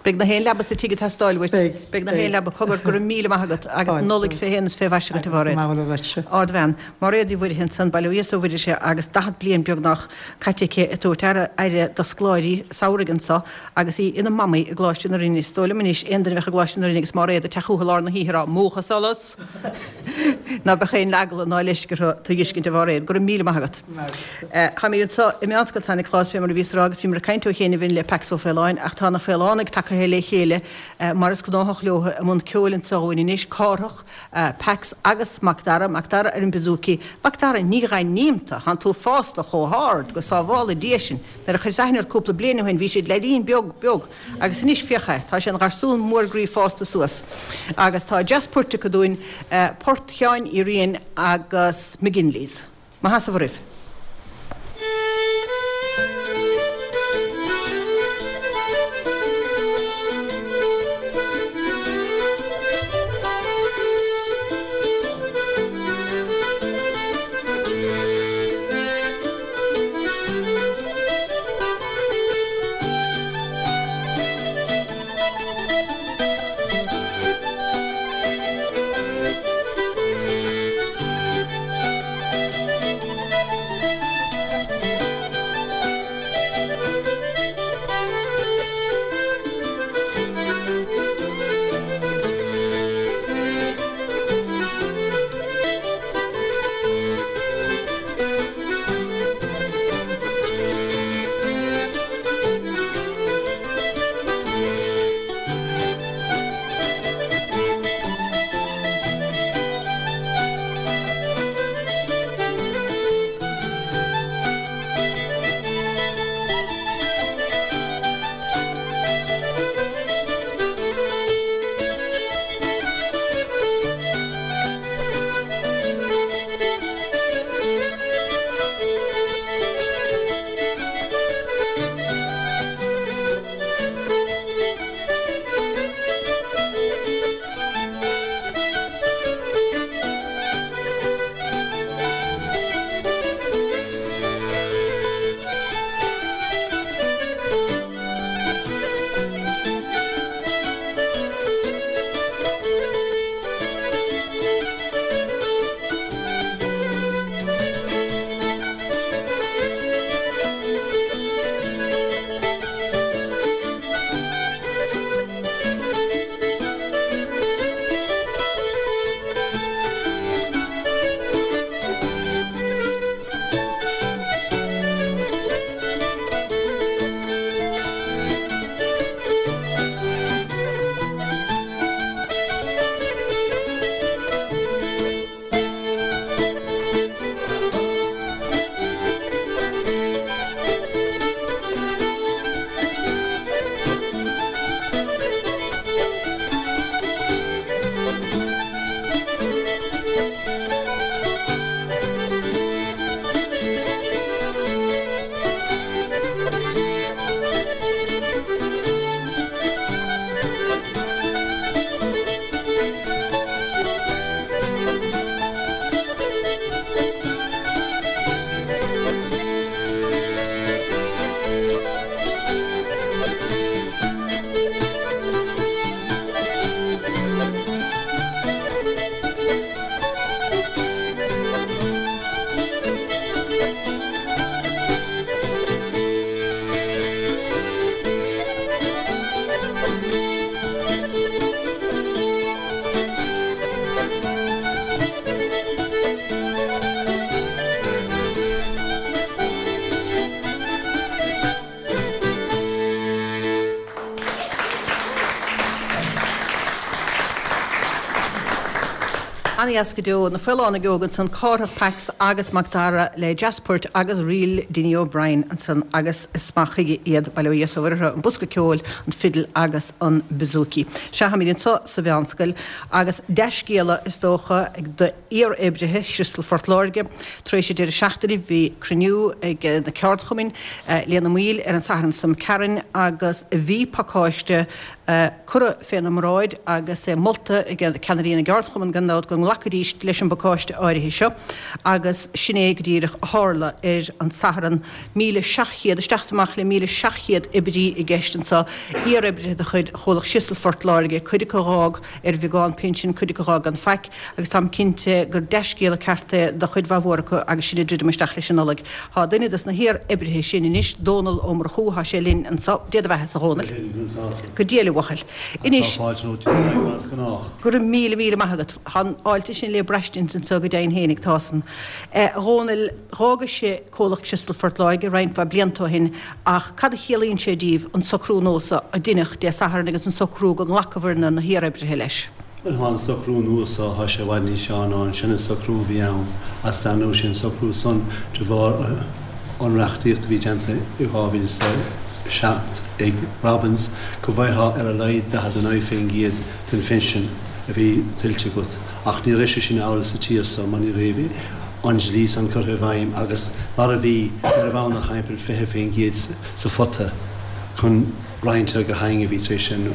Beidh na haon leaba sa tigh ag teastáil uait. Beidh. Beidh na haon leaba. Cogar, go raibh míle maith agat agus Fáilte. Nollaig fé shéan is fé mhaise agat, a Agus go Mháiréad. maith agatsa. Ardbhean. Máiréad Uí Mhuirthile ansan, Baile Ó Mhuirthile agus daichead bliain beagnach caite aici ag tabhairt aire, aire do scoláirí samhraidh anso agus í ina mamaí i gColáiste na Rinne. Is dóigh liom anois aon duine a bheadh i gColáiste na Rinne agus Máiréad ag teacht chucu i lár na hoíche ag rá, Múch an solas! ná beadh aon eagla ná leisce orthu tú a dh'fheiscint, a Mháiréad. Go raibh míle maith agat. Táimid anseo i Meánscoil San Nioclás fé mar a bhíos ag rá agus bhíomar ag caint ó chianaibh le Pax Ó Faoláin ach tá na Faolánaigh tagaithe le chéile mar is gnáthach leo i mbun ceoil anseo dhúinn anois, Cárthach, Pax agus Mac Dara, Mac Dara ar an bouzouki. Mac Dara, ní dh'aithním tú, thánn tú fásta chomh hard, go sábhála Dia sinn. Nuair a chuireas aithne ort cúpla bliain ó shin bhí siad leaidín beag beag agus anois féach é, tá sé ina gharsún mór groí fásta suas. Agus tá dreas poirt acu dúinn, port Sheáin Uí Riain agus McGinley's. Mo sheasamh oraibh. Ana-dheas go deo, Na Faolánaigh Óga ansan, Cárthach Pax agus Mac Dara le Jazzport agus Ríl Dinny O'Brien ansan agus is maith chuige iad, bail ó Dhia is ó Mhuire orthu, an bosca ceoil, an fidil agus an bouzouki. Sea, táimid anso sa mheánscoil agus dea-scéala is dócha ag d'iar-oibrithe Chriostal Phort Láirge. Tar éis an deireadh seachtaine bhí cruinniú ag na ceardchumainn lena mbaill ar an Satharn seo imigh tharainn agus bhí pacáiste curtha féna mbráid agus é molta ag ceannairí na gceardchumann gan dabht go nglacfaidís leis an bpacáiste áirithe seo agus sin é go díreach a tharla ar an Satharn. Míle seacht chéad, isteach is amach le míle seacht chéad oibrí i gceist anseo, iar-oibrithe de chuid Chomhlacht Chriostal Phort Láirge, cuid acu a dh'fhág ar bheagán pinsin, cuid acu a dh'fhág gan faic agus táim cinnte gur dea-scéala ceart é do chuid mhaith mhór acu agus sinn ag druidim isteach leis an Nollaig. Tá duine dos na hiar-oibrithe sin anois, Dónal Ó Murchú, tá sé linn anseo. Dé do bheatha-sa, a Dhónaill. Go diail, a bhuachaill. Anois, go raibh míle míle maith agat. Tá an fháilte sin le braistint anseo go deimhin fhéinig, tá san. A Dhónaill, dh'fhágais-se Comhlacht Chriostal Phort Láirge roinnt mhaith blianta ó shin ach cad a chiallaíonn sé díbh an socrú nua so a deineadh Dé Sathairn agus an socrú go nglacabhair na na hiar-oibrithe leis? Bhuel, thá an socrú nua so, thá sé i bhfad níos fearr ná an seana-socrú a bhí ann, as dar ndóigh sé an socrú san de bharr an reachtaíocht a bhí déanta i dhá mhíle is a seacht ag Robins go bhfaightheá ar a laghad daichead a naoi faoin gcéad den phinsean a bhí tuillte agat ach ní raibh sé sin amhlaidh sa tír so mar ní raibh an dlí san curtha i bhfeidhm agus mar a bhí ní raibh ann ach thimpeall fiche faoin gcéad sa phota chun roinnt ar gach éinne a bhí tar éis an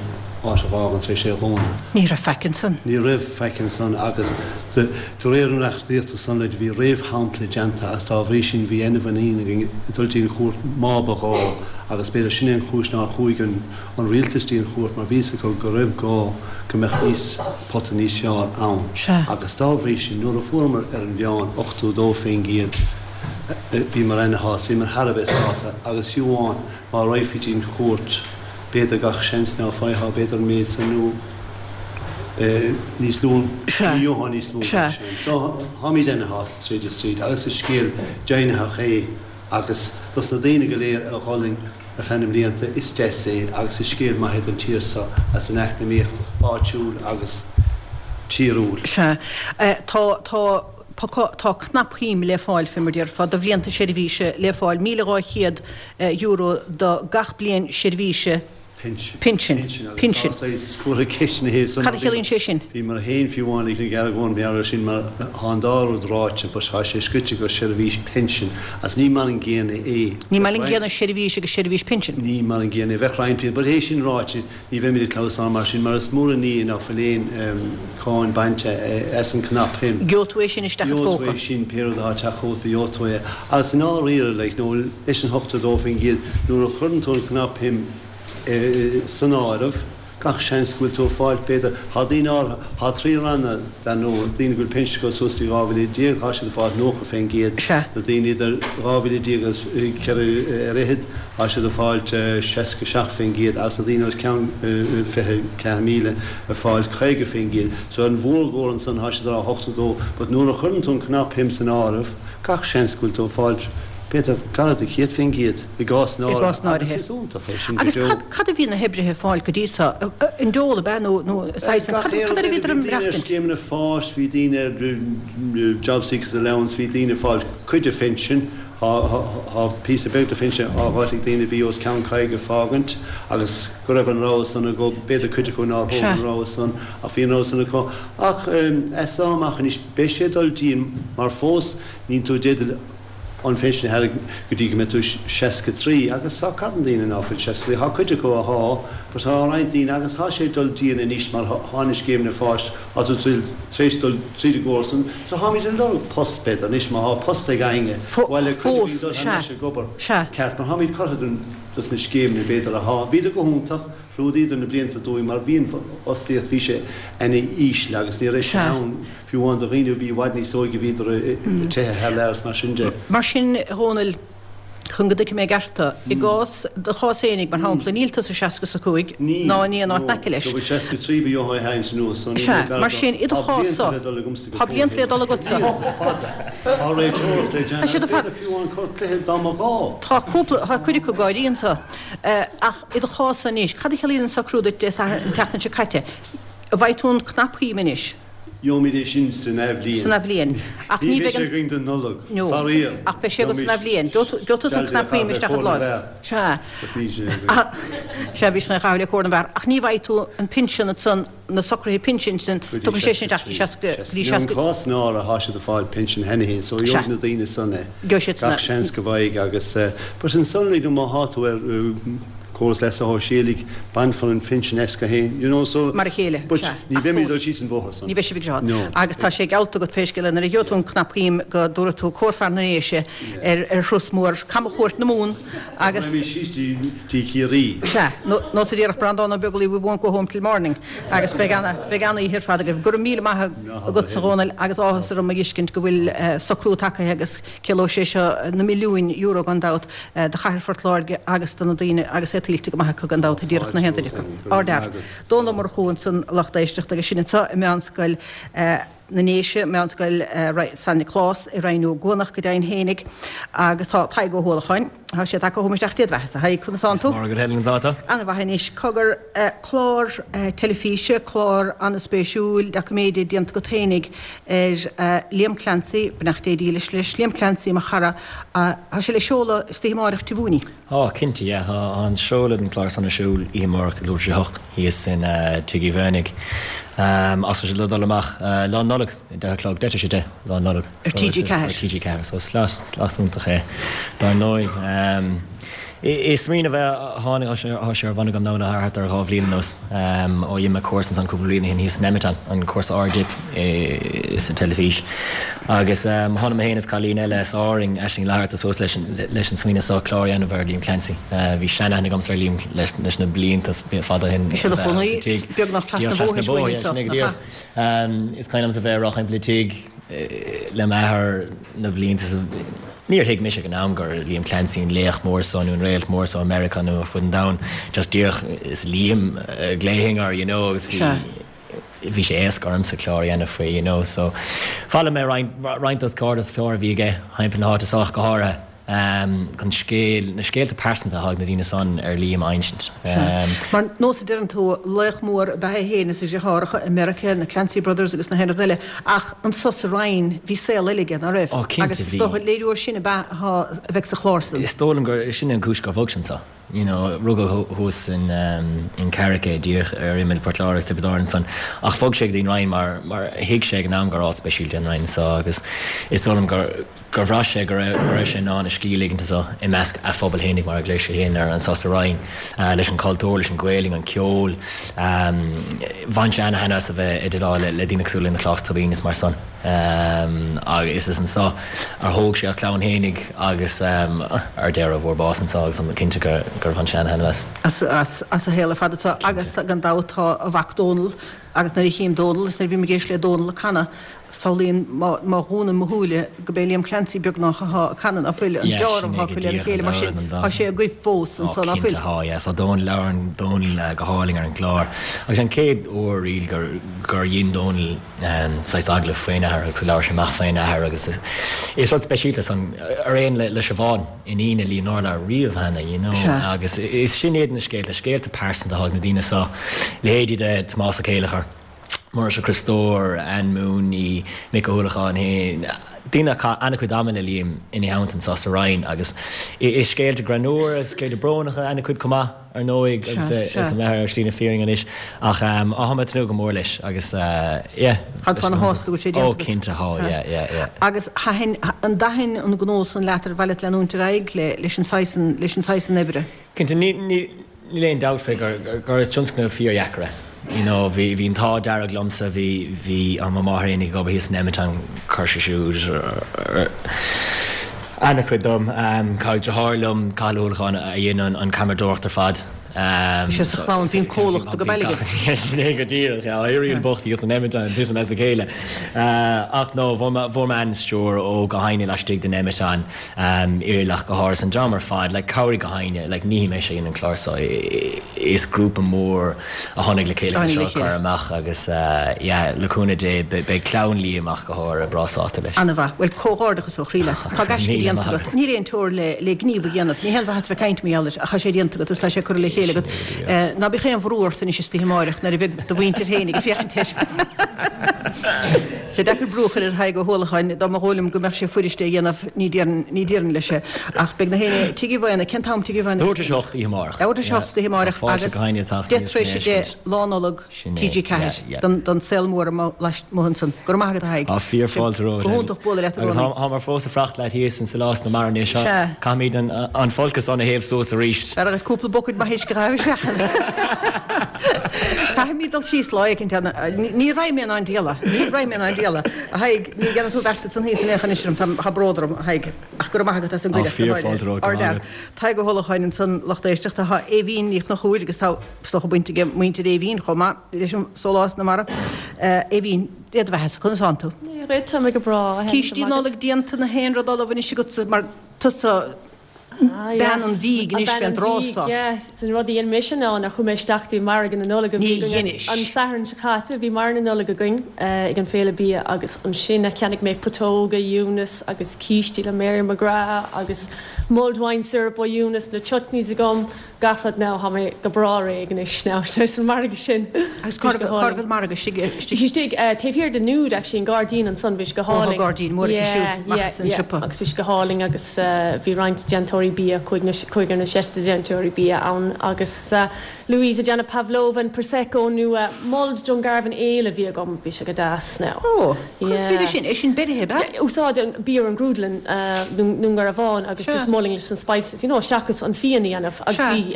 áit a dh'fhágaint, tar éis é a dhúnadh. Ní raibh faic ansan. Ní raibh faic ansan agus de réir an reachtaíochta san like bhí réamhshampla déanta agus dá bhrí sin bhí ana-mhuinín againn dul dtí an chúirt má ba ghá agus b'fhéidir sin é an chúis nár chuaigh an an rialtas dtí an chúirt mar bhí fhios acu go raibh gá go mbeadh níos pota níos fearr ann Sea. agus dá bhrí sin nuair a fuaireamar ar an mheán ochtó dó faoin gcéad bhíomar ana-shásta, bhíomar thar a bheith sásta agus fiú amháin má raghfaí dtí an chúirt b'fhéidir gach seans ná faightheá b'fhéidir an méid san nó níos lú, Sea. ní gheofá níos lú Sea. gach seans. So táimid ana-shásta tríd is tríd agus is scéal deimhnitheach é agus dos na daoine go léir a dh'fhulaing ar feadh na mblianta is deas é agus is scéal maith é don tír seo as an eacnamaíocht áitiúil agus tíriúil. Sea. Tá, tá, tá cnapshuim le fáil, fé mar déarfá, do bhlianta seirbhíse le fáil, míle dhá chéad euro do gach bliain seirbhíse Pinsin. pinsin. Pinsin agus Pinsin. tá saghas curtha ceist ina thaobh san Cad a chiallaíonn sé sin? Bhíomar féin fiú amháin ag an argóint mar sin mar tá an dá rud ráite but tá sé scrite gur seirbhís pinsin agus ní mar an gcéanna é. Ní mar an gcéanna seirbhís agus seirbhís pinsin. Ní mar an gcéanna é. Bheadh roinnt bliain but é sin ráite ní bheimid ag clamhsán mar sin mar is mór an ní ná fuil aon cáin bainte as an cnapshuim. Gheobhaidh tú é sin isteach i do Gheobhaidh tú phóca. é sin pé rud atá ag teacht chugat gheobhaidh tú é. Agus i ndáiríre like nó leis an hochtó dó faoin gcéad nuair a chuireann tú an cnapshuim san áireamh, gach seans go bhfuil tú ag fáilt, b'fhéidir, tá daoine áirithe, tá trí ranna dar ndóigh, daoine go bhfuil pinsean acu suas dtí dhá mhíle déag, tá siad ag fáilt nócha faoin gcéad, na daoine idir dhá mhíle déag agus ceithre ar fhichead, tá siad ag fáilt seasca seacht faoin gcéad agus na daoine os cionn fiche ceathair míle ag fáilt caoga faoin gcéad. So ar an mhórgóir ansan tá siad ag rá ochtó dó, but nuair a chuireann tú an cnapshuim san áireamh, gach seans go bhfuil tú ag fáilt, B'fhéidir gar do chéad faoin gcéad i gcás I gcás náirithe agus náirithe. is iontach é sin go Agus deo. cad, cad a bhí na hoibrithe ag fáil go dtí seo? An dole ab ea nó, nó saghas, Gach cad, aon cad air a rud eile, bhíodar bhí ag daoine ar maireachtaint? scéimeanna fáis, bhí daoine ar Jobseeker's Allowance, bhí daoine ag fáil cuid de phinsean, thá, thá, thá píosa beag de phinsean á dh'fháilt ag daoine a bhí os ceann caoga ag fágaint agus go raibh an rogha san acu, b'fhéidir cuid acu nár thóg Sea. an rogha san ach bhí an rogha san acu. Ach as seo amach anois beidh sé ag dul dian mar fós níl tú i dteideal an phinsean a tharraingt go dtí go mbeidh tú seasca trí agus tá carn daoine ná fuil seasca trí, tá cuid acu athá but tá roinnt daoine agus tá sé ag dul dian anois mar thá na scéimeanna fáis, tá tú tar éis dul tríd an gcóras san so tháimid ag lorg post b'fhéidir anois má thá post ag éinne bhuel le cuid againn Fós, dul thar sea, n-ais ag obair sea. ceart mar tháimid curtha den dos na scéimeanna b'fhéidir athá, bhíodar go hiontach, chlúdaíodar na blianta dúinn mar bhí an fhostaíocht, bhí sé ana íseal agus ní raibh sé Sea. ann fiú amháin do dhaoine a bhí i bhfad níos óige bhíodar ag teitheadh thar lear is mar sin de. Mar sin, a Dhónaill, chun go dtuigfidh mé i gceart tú, i gcás do chás fhéinig, mar shampla, níl tusa seasca is a cúig Níl, ná in aon áit no, in aice leis. go bhfuil seasca trí ba dheothá a tharraingt anuas so níl Sea, mé gar mar do. sin, i do Tá chás blianta so, le dul agamsa go tá blianta fóill. le dul agatsa. Blianta fada. Tá réiteoireacht le Tá déanamh siad agus fada. b'fhéidir fiú amháin cur cluiche dá mba ghá. Tá cúpla, tá cuid acu gáirí anseo. Ach i do chás anois, cad a chiallaíonn an socrú duit Dé Sathairn an tseachtain seo caite? An bhfaighidh tú an cnapshuim anois? Gheobhaimid é sin san athbhliain. San athbhliain. Ach ní ní bheidh bheidh sé an. againn don Nollaig, No. faraor. Ach beidh sé agat san Gheobhaimid. athbhliain. Gheobhaidh tusa an Dealbh é a cnapshuim chaitheamh le isteach i cóir na do láimh. bhfear. Sea. Ach níl sé againn. Sea, bhí sin a chaitheamh le cóir na bhfear. Ach ní bhfaighidh tú an pinsean ansan, na socruithe pinsin sin, Go dtí tugann sé sin seasca isteach trí. go dtí Seasca. Nó seasca. an cás ná atá siad ag fáil pinsean cheana féin, so Sea. gheobhaidh na daoine san é. Gheobhaidh siad san Gach é. seans go bhfaighidh agus, but ansan like má thá tú ar córas leasa shóisialaigh, bainfear an phinsean as go haon, you know, so. Mar a chéile, But sea. ní Ach bheimid fós. dul síos an bhóthar san. Ní bheidh sibh ag seo. No. Agus tá sé geallta agat pé scéal é, nuair a gheobhaidh tú an cnapshuim go dtabharfaidh tú cór fear na nDéise ar ar thuras mór camchuairt na Mumhan agus. Beimid síos dtí dtí Ciarraí. Sea, nó nó sa díreach Breandán Ó Beaglaoich we won't go home till morning agus beidh ana beidh ana oíche ar fad agaibh. Go raibh míle maith agat a Dhónaill agus áthas orm a fheiscint go bhfuil eh, socrú tagtha agus ciallóidh sé seo na milliúin euro gan dabht eh, do chathair Phort Láirge agus do na daoine agus é tuillte go maith acu gan dabht díreach na haon duine acu. Ardfhear. Dónall Ó Murchú ansan a lucht éisteachta agus sin anseo i Meánscoil eh, na nDéise, Meánscoil eh, San Nioclás i Rinn Ó gCuanach go deimhin fhéinig agus tá Tadhg Ó hUallacháin. Tá sé tagtha chugam isteach Dé do bheatha-sa. Haigh, conas tánn tú? Mar go Helen dáta. An-mhaith anois cogar eh, clár eh, teilifíse, clár an-spéisiúil, doiciméide déanta agat fhéinig ar eh, Liam Clancy, beannacht Dé dílis leis, Liam Clancy mo chara, tá sé le seoladh istoíche amárach Dé Luain. Á cinnte yeah, tá an seoladh den chlár san ar siúl oíche amárach leathuair tar éis a hocht thíos in uh, Tigh Uí Mhaonaigh. Um, as sé le dul amach uh, lá Nollag deich a chlog deich de lá Nollag. Ar TG ceathair. TG ceathair, so slot slot iontach é dar ndóigh. Um, Is smaoineamh bheith tháinig sé ar bhun agam ná thart ar dhá bhliain anuas ó dhein mé cúrsa an cúpla bliain thíos in Emiton an cúrsa Ard-Dip sa teilifís. Agus tháinig mé féin is cailín eile as Árainn Aisling Fhlatharta suas leis leis an smaoineamh seo clár a dhéanamh ar Liam Clancy. Bhí seanaithne agamsa ar Liam leis leis na blianta fada shin. Bhí sé ina chónaí beagnach trasna bóthair uainn anseo. Is cuimhin liomsa bheith ag rá timpeall an tigh le m'athair na blianta Níor thuig mise ag an am gur Liam Clancy an laoch mór seo nó an réalt mór seo America nó ar fud an domhain just díreach is Liam a ghlaofainn air you know agus bhí bhí sé éasca ormsa clár a dhéanamh faoi you know so bhailigh mé roinnt dos cairde is fearr a bhí aige timpeall na háite sách go háirithe um, chun scéal na scéalta pearsanta atá ag na daoine san ar Liam a insint. Um, Mar nós a deireann tú laoch mór ba ea é féin is a dheartháireacha i Meiriceá, na Clancy Brothers agus na haon rud eile, ach anso sa Rinn bhí saol eile aige, ná raibh? Ó, cinnte Agus is bhí. dócha léiriú air sin ab ea a bheidh sa chlár san. Is dóigh liom gur sin an cúis gur bhog sé anseo. You know, rugadh thuas in, um, in Carrick é díreach ar imeall Port Láirge agus Tiobraid Árann san ach bhog sé go dtí an Rinn mar mar thuig sé ag an am gur áit speisialta an Rinn so agus is dóigh liom gur gur bhraith sé go raibh go raibh sé in ann a scíth a ligint anseo i measc a phobal fhéinig mar a ghlaoigh sé féin air anso sa Rinn uh, leis an cultúr, leis an Ghaeilge, an ceol. Um, bhain sé ana-thaitneamh as a bheith ag déileáil le, le daoine cosúil le Nioclás Tóibín is mar san. Um, agus is anseo ar thóg sé a chlann fhéinig agus um, ar deireadh fuair bás anseo agus an cinnte gur gur bhain sé ana-thaitneamh as. As, as, as a shaol ar fad atá agus gan dabht tá a mhac Dónal agus nuair a chím Dónal is nuair a bhím ag éisteacht le Dónal ag canadh samhlaím má má dhúnaim mo shúile gurb é Liam Clancy beagnach atá ag canadh ná fuil an Yeah, dealramh sin é atá go acu lena díreach chéile an mar sin dá an dá. tá sé agaibh fós Ó, anso ná cinnte fuil. thá, yeah. So Dónal labhrann Dónal uh, go hálainn ar an gclár. Agus an chéad uair really gur gur dhein Dónal um, saghas agallamh faoina athair agus labhair sé amach faoina athair agus is, is rud speisialta san ar aon le, le Siobhán iníon le Liam nár labhair riamh cheana, you know. Sea. Agus is sin iad na scéalta, scéalta pearsanta atá ag na daoine seo leithéidí de Tomás Ó Céileachair. Muiris Ó Criostóir, Ann Mooney, Mick Ó hUallacháin féin, daoine a chaith an-chuid ama le Liam ina theannta anso sa Rinn agus is scéalta greannmhara, is scéalta brónacha an-chuid chomh maith ar ndóigh agus Sea, is sea. an mbeatha ar shlí na fírinne anois ach um, á tháim ag tnúth go mór leis agus uh, yeah. Tá tú ana-shásta go bhfuil sé déanta Ó agat. cinnte thá, yeah, yeah, yeah. Agus thaitin an dtaithin an gnó san leat ar mhaith leat leanúint ar aghaidh le leis an saghas leis an saghas oibre. Cinnte ní ní níl aon dabht fé gur gur gur is tionscnamh fíordheacair é. You know, bhí bhí an t-ádh dearg liomsa bhí bhí an mo mháthair féin ag obair thíos in Emiton chuir sí siúd an-chuid dom um, caithfidh deartháir liom Cathal Ó hUallacháin a dhein an an ceamaradóireacht ar fad. Um, Bhí sé sa chlann, bhí an comhlacht go bailge. Sin é go díreach, yeah, éiríonn bocht thíos in Emiton titim as a chéile. Uh, ach no, bhfuair mé an-stiúir ó gach éinne laistigh den Emiton um, Iarlaith go háirithe an dream ar fad, like, chabhraigh gach éinne, like, ní mé sé an clár seo is grúpa mór a tháinig le chéile Tháinig le seo chur chéile. amach agus uh, yeah, le cúnamh Dé beidh clann Liam ach go háirithe breá sásta leis. An-mhaith, well comhghairdeachas ó chroí leat. Tá gaisce Míle déanta maith agat. Níl aon teora le le gníomh a dhéanamh. Ní haon mhaitheas bheith ag caint mar gheall air, ach tá sé déanta agat, is tá sé curtha le chéile. chéile agat. Ná bíodh aon bhrú ort anois istoíche amáireach nuair a bheidh do mhuintir féin ag féachaint air. Sé deacair brú a chur ar Thadhg Ó hUallacháin dá mba dhóigh liom go mbeadh sé fuirist é a dhéanamh, ní déarfainn, ní déarfainn leis é. Ach beidh na héinne, Tigh Uí Mhaonaigh, cén t-am Tigh Uí Mhaonaigh? Leathuair tar éis a hocht oíche amárach. Leathuair tar éis a hocht oíche amárach agus deich tar éis a deich Lá Nollag T G ceathair don don saol mór amuigh ansan. Go raibh maith agat a Thaidhg. Tá fíor fáilte romhat. Go hiontach bualadh leat i Agus gcónaí. táimar fós ag fanacht leat thíos in Sólás na Mara anois. Sea. Caithfimid an an folcadh san a théamh suas arís. B'fhearr dhuit cúpla bucaid maith uisce a chaitheamh isteach ann. Caithfimid dul síos lá éicint ann. Ní raghaidh mé in ann diabhal. Ní raghaidh mé in ann diabhal. A Thaidhg, ní dhéanfaidh tú beart san thíos in aon chor anois orm. Tá tá bród orm, a Thaidhg. Ach go raibh maith agat as an Tá gcuireadh. fíor fáilte romhat, go raibh maith agat. Tadhg Ó hUallacháin ansan lucht éisteachta. Tá Aoibhín Ní Chonchúir agus tá is dócha baint ag muintir Aoibhín chomh maith leis an Sólás na Mara. Aoibhín, Dé do bheatha-sa, conas tánn tú? Dia dhuit, tá mé go breá, a Helen, Cístí go maith agat. Nollag déanta na haon rud ullamh anois agatsa mar tusa Ah, yeah. bean an bhídh An anois bean fén an dtráth bhídh, so. yeah. An rud a dhein mise ná nár chuaigh mé isteach dtí margadh na Nollag a Ní bhí againn dheinis. an Satharn seo caite. Bhí margadh na Nollag againn ag an Féile Bia agus ansin a cheannaigh mé putóga Eunice agus cístí le Mary McGrath agus mulled wine syrup ó Eunice, na chutneys agam. Gach rud now, tá mé go breá réidh anois now, tar éis an margadh sin. Agus cá raibh cá raibh an margadh? Istigh, istigh? Bhí sé istigh taobh thiar de Nude actually, an gairdín ansan, bhí sé go Ó, tá hálainn. gairdín mór aici siúd, Yeah, amach yeah, as an yeah. siopa. Agus bhí sé go hálainn agus bhí roinnt déantóirí bia, cúig nó cúigear nó seisear déantóirí bia ann agus Louise ag déanamh pavlova and prosecco nua, mulled Dungarvan ale a bhí agam, bhí sé go deas now. Ó, conas Yeah. bhí sin? É sin beirithe, ab ea? Úsáid an beer an grúdlann, Dún Garbhán agus Sea. just mulling leis an spices, you know, seachas an fíon a dhéanamh agus Sea. bhí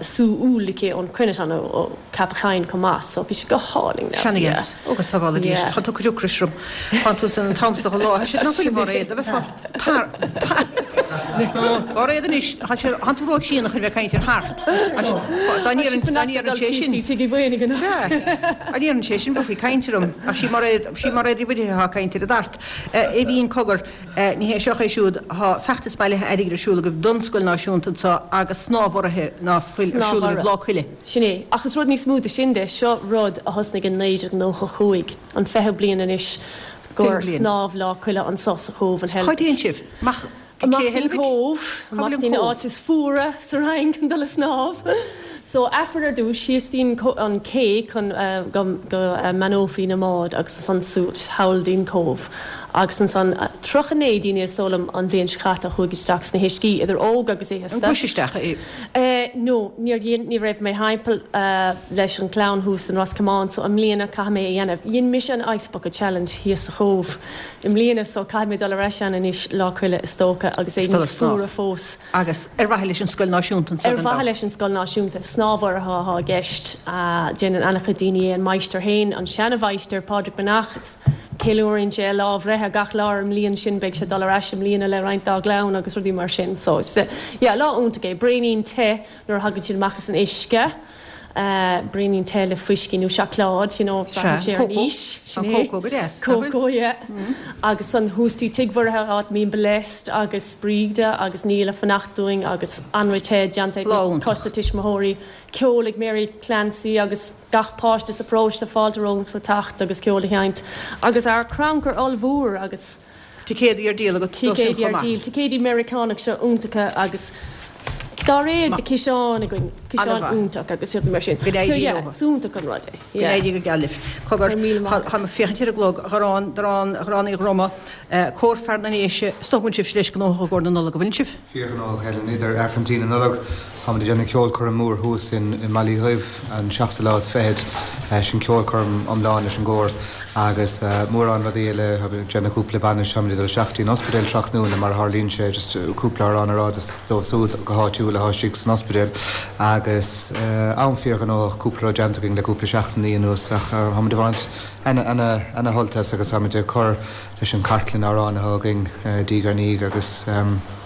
sú úll aici ón Cruinneatán ó Ceapach Choinn chomh maith so bhí sé go hálainn now. Seana dheas. Ó go sábhála Dia Yeah. sinn. Tá tú ag cur ocrais orm. Tá tú san an t-am seo an lá. Tá sé nach bhfuil mar é, a bheith fá tar tar Mar é anois, tá sé tá tú róshíonach chun bheith ag caint ar thart. Dá ndéarfainn dá ndéarfainn sé sin. Tigh Uí Mhaonaigh anocht. Sea. Dá ndéarfainn sé sin bheifí ag caint orm. Ach sí mar é sí mar é di bhfuil atá ag caint ar an dtart. Aoibhín cogar, ní hé seo é siúd, tá feachtas bailithe airgid ar siúl agaibh don Scoil Náisiúnta anseo agus snámh urraithe ná fuil ar siúl agaibh Lá Coille. Sin é. Ach is rud níos mó de sin de, seo rud a thosnaigh in naoi déag nócha cúig, an fiche bliain anois gur snámh Lá Coille anso sa Chóbh an Cá dtéann sibh? Amach Amach dtí'n Cóbh, amach dtí'n áit is fuaire sa Rinn chun dul a snámh. So Aifreann ar dtús, síos dtí'n an cé chun go go mbeannófaí na mbád agus ansan suas thall dtí'n Cóbh. Agus ansan tríocha naoi daoine is dóigh liom an bhliain seo caite a chuaigh isteach sna huiscí, idir óg agus An aosta. gcuais isteach é? No, níor dhein, ní raibh mé thimpeall leis an gclann thuas in Ros Comáin so i mbliana caithfidh mé é a dhéanamh. Dhein mise an Ice Bucket Challenge thíos sa Chóbh i mbliana so caithfidh mé dul ar ais ann anois Lá Coille is dócha agus é Is dul níos ag snámh. fuaire fós. Agus ar mhaithe leis an Scoil Náisiúnta anso Ar gan mhaithe dabht. leis an Scoil Náisiúnta, snámh urraithe atá i gceist. Déanann an-chuid daoine é, an máistir féin, an seana-mháistir, Pádraig Breathnach, is ceiliúrann sé a lá bhreithe gach lá ar an mbliain sin, beidh sé ag dul ar ais i mbliana le roinnt dá gclann agus rudaí mar sin. So, is, yeah, lá iontach é. Braoinín te nuair a thagann siad amach as an uisce. Braoinín te le fuiscí nó seacláid, you know, braitheann sé ar an aois. Sin é. Cócó go deas, nach bhfuil? Cócó, yeah. Agus an thuas dtí Tigh Mhuirithe áit a mbíonn Blessed agus Bríde agus Neil ag fanacht dúinn agus anraith te déanta ag Lá iontach. coiste tuismitheoirí, ceol ag Mary Clancy agus gach páiste sa bparóiste fáilte rompu teacht agus ceol a sheinnt. Agus ár crannchur ollmhór agus. Ticéadaí ar díol agat dó sin Ticéadaí chomh ar maith. díol, ticéadaí Meiriceánach seo iontacha agus dá réir de ciseán againn, ciseán An-mhaith. iontach agus rudaí mar sin. Go n-éirí So yeah, leo. is iontach an rud é. Go n-éirí go geal libh. Cogar, Go raibh míle maith tá agat. tá mé ag féachaint ar an gclog, Gharrán, Darán, Gharrán Uí Dhroma, Cór Fear na nDéise, is dócha go bhfuil sibh leis gnóthach i gcomhair na Nollag, an bhfuil sibh? Fíorghnóthach, Helen, idir Aifreann Tí na Nollag, táimid ag déanamh ceolchoirm mór thuas in i mBaile Uí Dhuibh an seachtú lá is fichead, sin ceolchoirm iomlán leis an gcór agus mórán rudaí eile, táimid ag déanamh cúpla bainis, táimid ag dul isteach dtí an ospidéal tráthnóna mar a tharlaíonn sé, just cúpla amhrán a rá dóibh siúd go háitiúil atá istigh san ospidéal agus am fíorghnóthach, cúpla rud déanta againn le cúpla seachtainí anuas ach táimid ag baint ana-shult as agus táimid ag cur leis an cartlann amhrán atá againn diaidh ar ndiaidh agus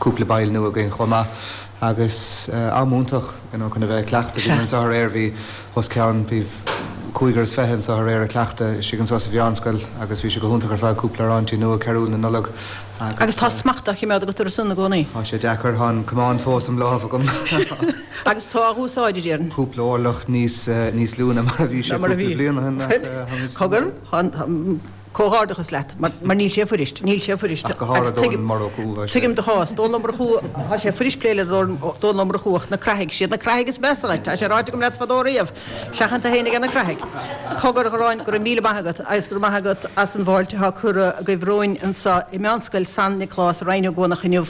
cúpla baill nua againn chomh maith agus am iontach you know chun a bheith ag cleachtadh. Bhí anseo aréir, bhí os cionn, bhí cúigear is fiche anseo aréir ag cleachtadh istigh anseo sa mheánscoil agus bhí sé go hiontach ar fad, cúpla amhráintí nua, Carúil na Nollag Agus agus tá smacht á choimeád agat orthu san i gcónaí? Tá sé deacair, tá an camán fós im lámh agam. Agus tá á úsáid, a déarfainn. Cúpla orlach níos níos lú ná mar a bhí sé Ná mar a cúpla bhí. bliain ó shin ach táimid Cogar, Comhghairdeachas leat, mar mar níl sé fuirist, níl sé fuirist. Ach go háirithe Agus Dónal Murchú, tá sé. Tuigim do chás, Dónal Ó Murchú, tá sé fuirist plé le Dónal Ó Murchú ach na creathaigh, siad na creathaigh is measa dhuit, tá sé ráite agam leat fadó riamh, seachain tú fhéin aige na creathaigh. Cogar a Ghoráin, go raibh míle maith agat agus go raibh maith agat as an bhfáilte atá curtha agaibh romhainn anseo i Meánscoil San Nioclás i Rinn Ó gCuanach inniu.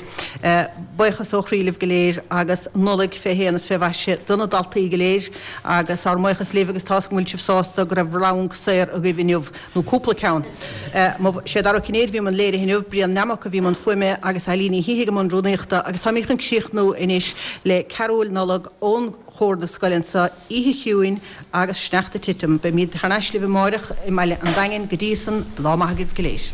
Buíochas ó chroí libh go léir agus Nollaig fé shéan is fé mhaise do na daltaí go léir agus ár mbuíochas libh agus tá's agam go bhfuil sibh sásta go raibh rang saor agaibh inniu, nó cúpla ceann. Sé Dara Ó Cinnéide a bhí i mbun léirithe inniu, Brian Nammock a bhí i mbun fuaime agus Eileen Ní Shíthigh i mbun rúnaíochta agus táimid chun críochnú anois le Carúil Nollag ón chór na scoile anseo, Oíche Chiúin agus Sneachta ag Titim. Beimid thar n-ais libh amáireach i mBaile an Daingin go dtí san, lá maith agaibh go léir.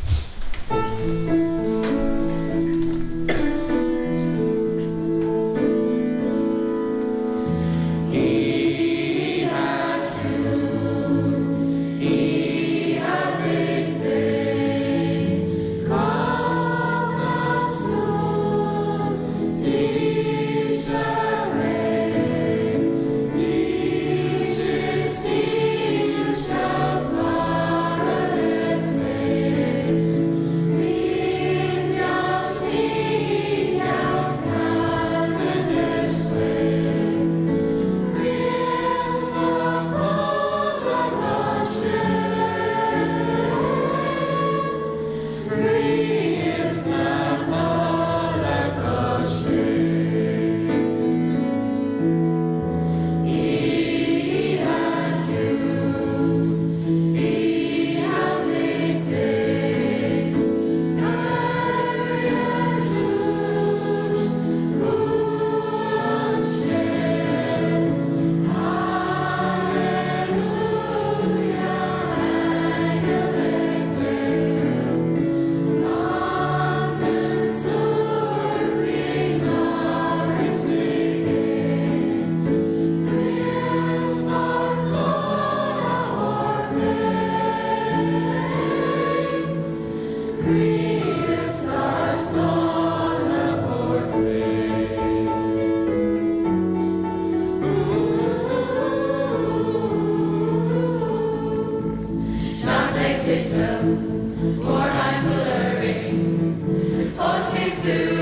Mórthimpeall orainn, fáilte